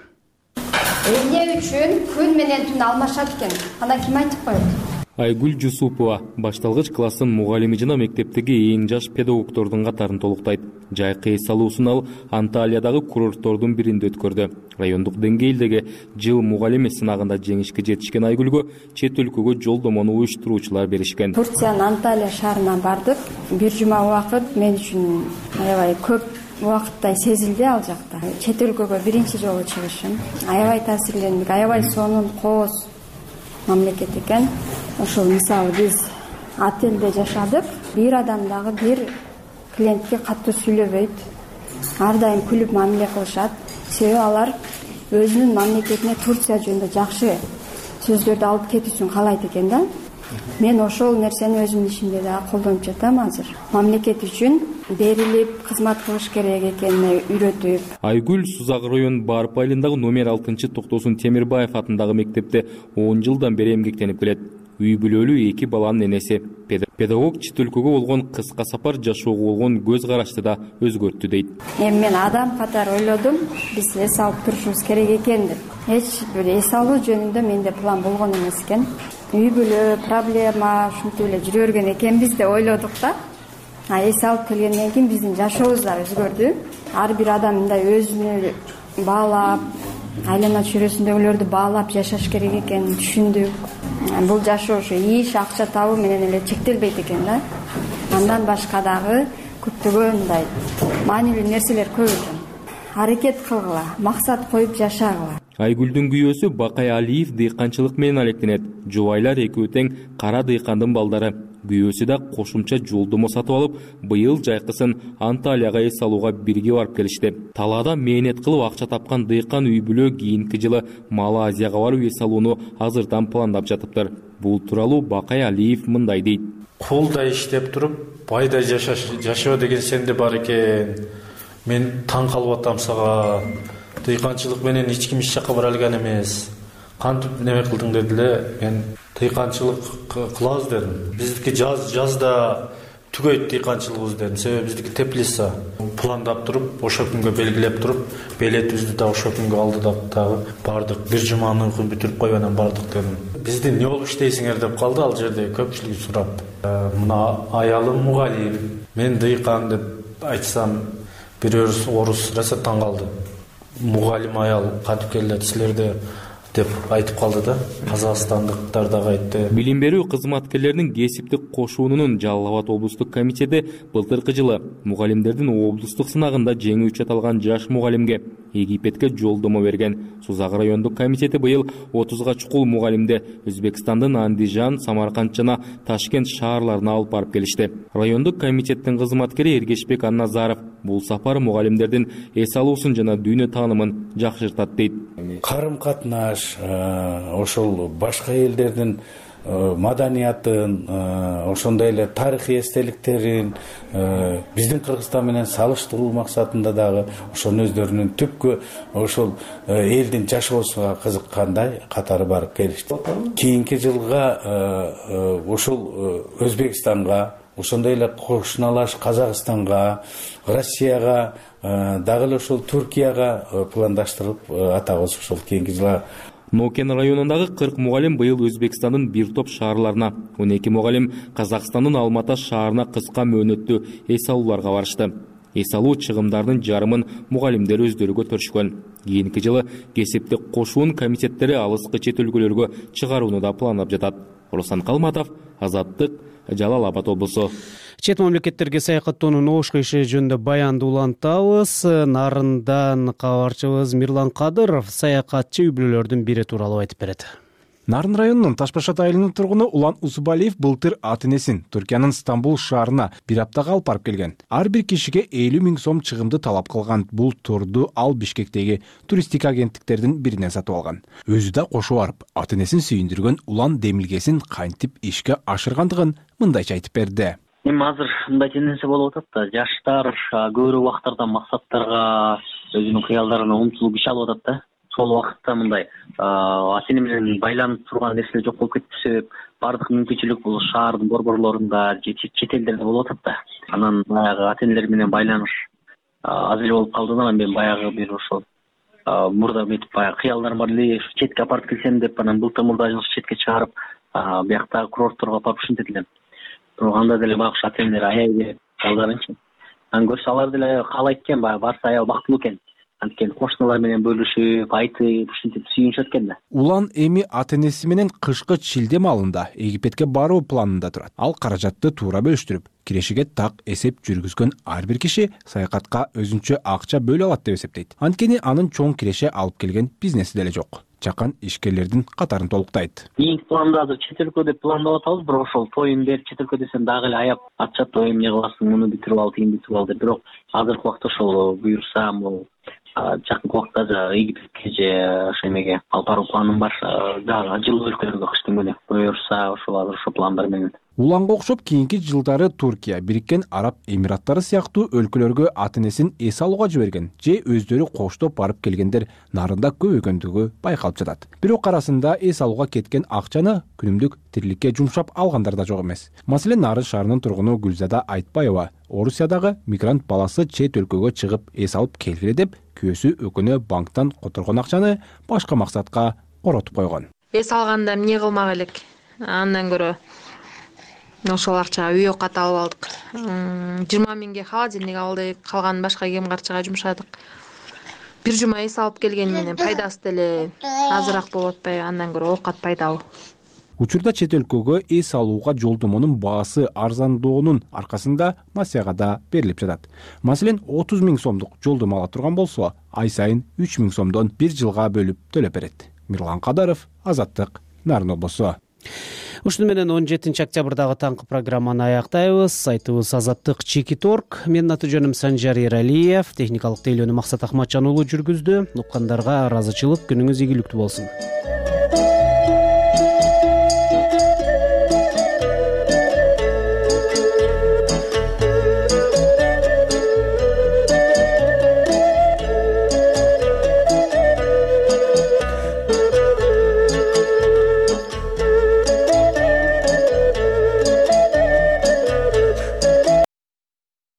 Эмне үчүн күн менен түн алмашат экен? Анан ким айтып коет? Айгүл Жусупова башталгыч класстын мугалими жана мектептеги эң жаш педагогдордун катарын толуктайт. Жайкы эс алуусун ал Анталиядагы курорттордун биринде өткөрдү. Райондук деңгээлдеги жыл мугалими сынагында жеңишке жетишкен Айгүлгө чет өлкөгө жолдомону уюштуруучулар беришкен. Турциянын Анталия шаарына бардык. Бир жума убакыт мен үчүн аябай көп убакыттай сезилди ал жакта. Чет өлкөгө биринчи жолу чыгышым. Аябай таасирлендик. Аябай сонун кооз мамлекет экен. Ошол мисалы биз отелде жашадык. Бир адам дагы бир клиентке катуу сүйлөбөйт. Ар дайым күлүп мамиле кылышат. Себеби алар өзүнүн мамлекетине Турция жөнүндө жакшы сөздөрдү алып кетүүсүн каалайт экен да. Мен ошол нерсени өзүмдүн ишимде дагы колдонуп жатам азыр. Мамлекет үчүн берилип, кызмат кылыш керек экенине үйрөтүп. Айгүл Сузак район Барып айылындагы номер 6-токтосун Темирбаев атындагы мектепте 10 жылдан бери эмгектенип келет. үй бүлөлүү 2 баланын энеси. Педагог чет өлкөгө болгон кыска сапар жашоого болгон көз карашты да өзгөрттү дейт. Эми мен адам катары ойлодум, биз эс алып турушубуз керек экен деп. Эч бир эс алуу жөнүндө менде план болгон эмес экен. Үй бүлө проблема ушинтип эле жүрө берген экенбиз деп ойлодук да. Эс алып келгенден кийин биздин жашообуз да өзгөрдү. Ар бир адам мындай өзүнө баалап, айлана чөйрөсүндөгүлөрдү баалап жашаш керек экенин түшүндүк. Бул жашоо ушу иш, акча табуу менен эле чектелбейт экен да. Андан башка дагы көптөгөн мындай маанилүү нерселер көп экен. Аракет кылгыла, максат коюп жашагыла. Айгүлдүн күйөөсү Бакай Алиев дыйканчылык менен алектенет. Жубайлар экөө тең кара дыйкандын балдары. Күйөөсү да кошумча жолдомо сатып алып, быйыл жайкысын Анталияга эс алууга бирге барып келишти. Талаада мээнет кылып акча тапкан дыйкан үй бүлө кийинки жылы Малайзияга барып эс алууну азырдан пландап жатыптыр. Бул тууралуу Бакай Алиев мындай дейт. Кулда иштеп туруп, байда жашоо деген сенде бар экен. Мен таң калып атам сага. Дыйканчылык менен эч ким эч жака бара алган эмес. Кантип неме кылдың дедиле. Мен дыйканчылык кылабыз дедим. Биздики жазда түгөйт дыйканчылыгыбыз дедим. Себеби биздики теплица. Пландап туруп, ошо күнгө белгилеп туруп, билетибизди да ошо күнгө алдыдак дагы бардык. Бир жуманын күн бүтүрүп коюп анан бардык дедим. Бизди эмне болуп иштейсиңер деп калды ал жерде көпчүлүк сурап. Мына аялым мугалим, мен дыйкан деп айтсам, бирөө орус раса таң калды. Мугалим аял кантип келет силерде деп айтып калды да. Казакстандыктар дагы айтты. Билим берүү кызматкерлеринин кесиптик кошуунунун Жалал Абад облустук комитети былтыркы жылы мугалимдердин облустук сынагында жеңүүчү аталган жаш мугалимге Египетке жолдомо берген. Сузак райондук комитети быйыл 30га чукул мугалимди Өзбекстандын Андижан, Самарканд жана Ташкент шаарларына алып барып келишти. Райондук комитеттин кызматкери Эргешбек Анназаров бул сапар мугалимдердин эс алуусун жана дүйнө таанымын жакшыртат дейт. Карым катнаш, ошол башка элдердин маданиятын, ошондой эле тарыхый эстеликтерин биздин Кыргызстан менен салыштыруу максатында дагы ошонун өздөрүнүн түпкү ошол элдин жашоосуна кызыккандай катары барып келишти. Кийинки жылга ошол Өзбекстанга, ошондой эле кошуналаш Казакстанга, Россияга, дагы эле ошол Түркияга пландаштырып атабыз ошол кийинки жылга. Нокен районундагы 40 мугалим быйыл Өзбекстандын бир топ шаарларына, 12 мугалим Казакстандын Алмата шаарына кыска мөөнөттүү эс алууларга барышты. Эс алуу чыгымдарынын жарымын мугалимдер өздөрү көтөрүшкөн. Кийинки жылы кесиптик кошуун комитеттери алыскы чет өлкөлөргө чыгарууну да пландап жатат. Руслан Калматов, Азаттык, Жалал Абад облусу. Чет мамлекеттерге саякаттоонун оошко иши жөнүндө баянды улантабыз. Нарындан кабарчыбыз Мирлан Кадыров саякатчы үй бүлөлөрдүн бири тууралуу айтып берет. Нарын районунун Ташбашат айылынын тургуну Улан Усубалиев былтыр ата-энесин Түркиянын Стамбул шаарына бир аптага алып барып келген. Ар бир кишиге 50 000 сом чыгымды талап кылган. Бул турду ал Бишкектеги туристик агенттиктердин биринен сатып алган. Өзү да кошо барып, ата-энесин сүйүндүргөн улан демилгесин кантип ишке ашыргандыгын мындайча айтып берди. Эми азыр мындай тенденция болуп атат да, жаштар көбүрөөк убактарда максаттарга, өзүнүн кыялдарына умтулуп иш алып атат да. Сол убакытта мындай ата-эне менен байланып турган нерселер жок болуп кетип, баардык мүмкүнчүлүк бул шаардын борборлорунда же чет элдерде болуп атат да. Анан баягы ата-энелер менен байланыш аз эле болуп калды да. Анан мен баягы бир ошол мурда метип баягы кыялдарым бар эле, четке апарып келсем деп, анан былтыр мурда четке чыгарып, бияктагы курортторго апарып ушинтип элем. Бирок анда деле баягы ата-энелер аяй берип балдарынчы. Анан көрсө алар деле каалайт экен, баягы барса аябай бактылуу экен. Анткени кошуналар менен бөлүшүп, айтып, ушинтип сүйүнүшөт экен да. Улан эми ата-энеси менен кышкы шилде маалында Египетке баруу планында турат. Ал каражатты туура бөлүштүрүп, кирешиге так эсеп жүргүзгөн ар бир киши саякатка өзүнчө акча бөлө алат деп эсептейт. Анткени анын чоң киреше алып келген бизнеси деле жок. Чакан ишкерлердин катарын толуктайт. Кийинки планда азыр чет өлкө деп пландап атабыз, бирок ошол тоюн берип чет өлкө десем дагы эле аяп атышат, эмне кыласың, муну бүтүрүп ал, тигин бүтүрүп ал деп. Бирок азыркы убакта ошол буюрса, могу жакынкы убакта игиликке же ошо эмеге алып баруу планым бар. Дагы жылуу өлкөлөргө кыштын күнү буюрса ошол азыр ошо пландар менен. Уланга окшоп кийинки жылдары Туркия, Бириккен Араб Эмираттары сыяктуу өлкөлөргө ата энесин эс алууга жиберген же өздөрү коштоп барып келгендер нарында көбөйгөндүгү байкалып жатат. Бирок арасында эс алууга кеткен акчаны күнүмдүк тириликке жумшап алгандар да жок эмес. Маселен, Нарын шаарынын тургуну Гүлзада Айтбаева Орусиядагы мигрант баласы чет өлкөгө чыгып эс алып келгиле деп күйөөсү өкүнө банктан которгон акчаны башка максатка коротуп койгон. Эс алганда эмне кылмак элек? Андан көрө ошол акчага үй оокат алып алдык. 20 миңге холодильник алдык, калганын башка кем карчыга жумшадык. Бир жума эс алып келгени менен пайдасы деле азыраак болуп атпайбы? Андан көрө оокат пайдалуу. Учурда чет өлкөгө эс алууга жолдомонун баасы арзандоонун аркасында насыяга да берилип жатат. Маселен, 30 миң сомдук жолдомо ала турган болсо, ай сайын 3 миң сомдон бир жылга бөлүп төлөп берет. Мирлан Кадаров, Азаттык, Нарын облусу. Ушуну менен 17 октябрдагы таңкы программаны аяктайбыз. Сайтыбыз Азаттык.org. Менин аты жөнүм Санжар Эралиев. Техникалык тейлөөнү Максат Ахматжан уулу жүргүздү. Уккандарга ыраазычылык, күнүңүз ийгиликтүү болсун.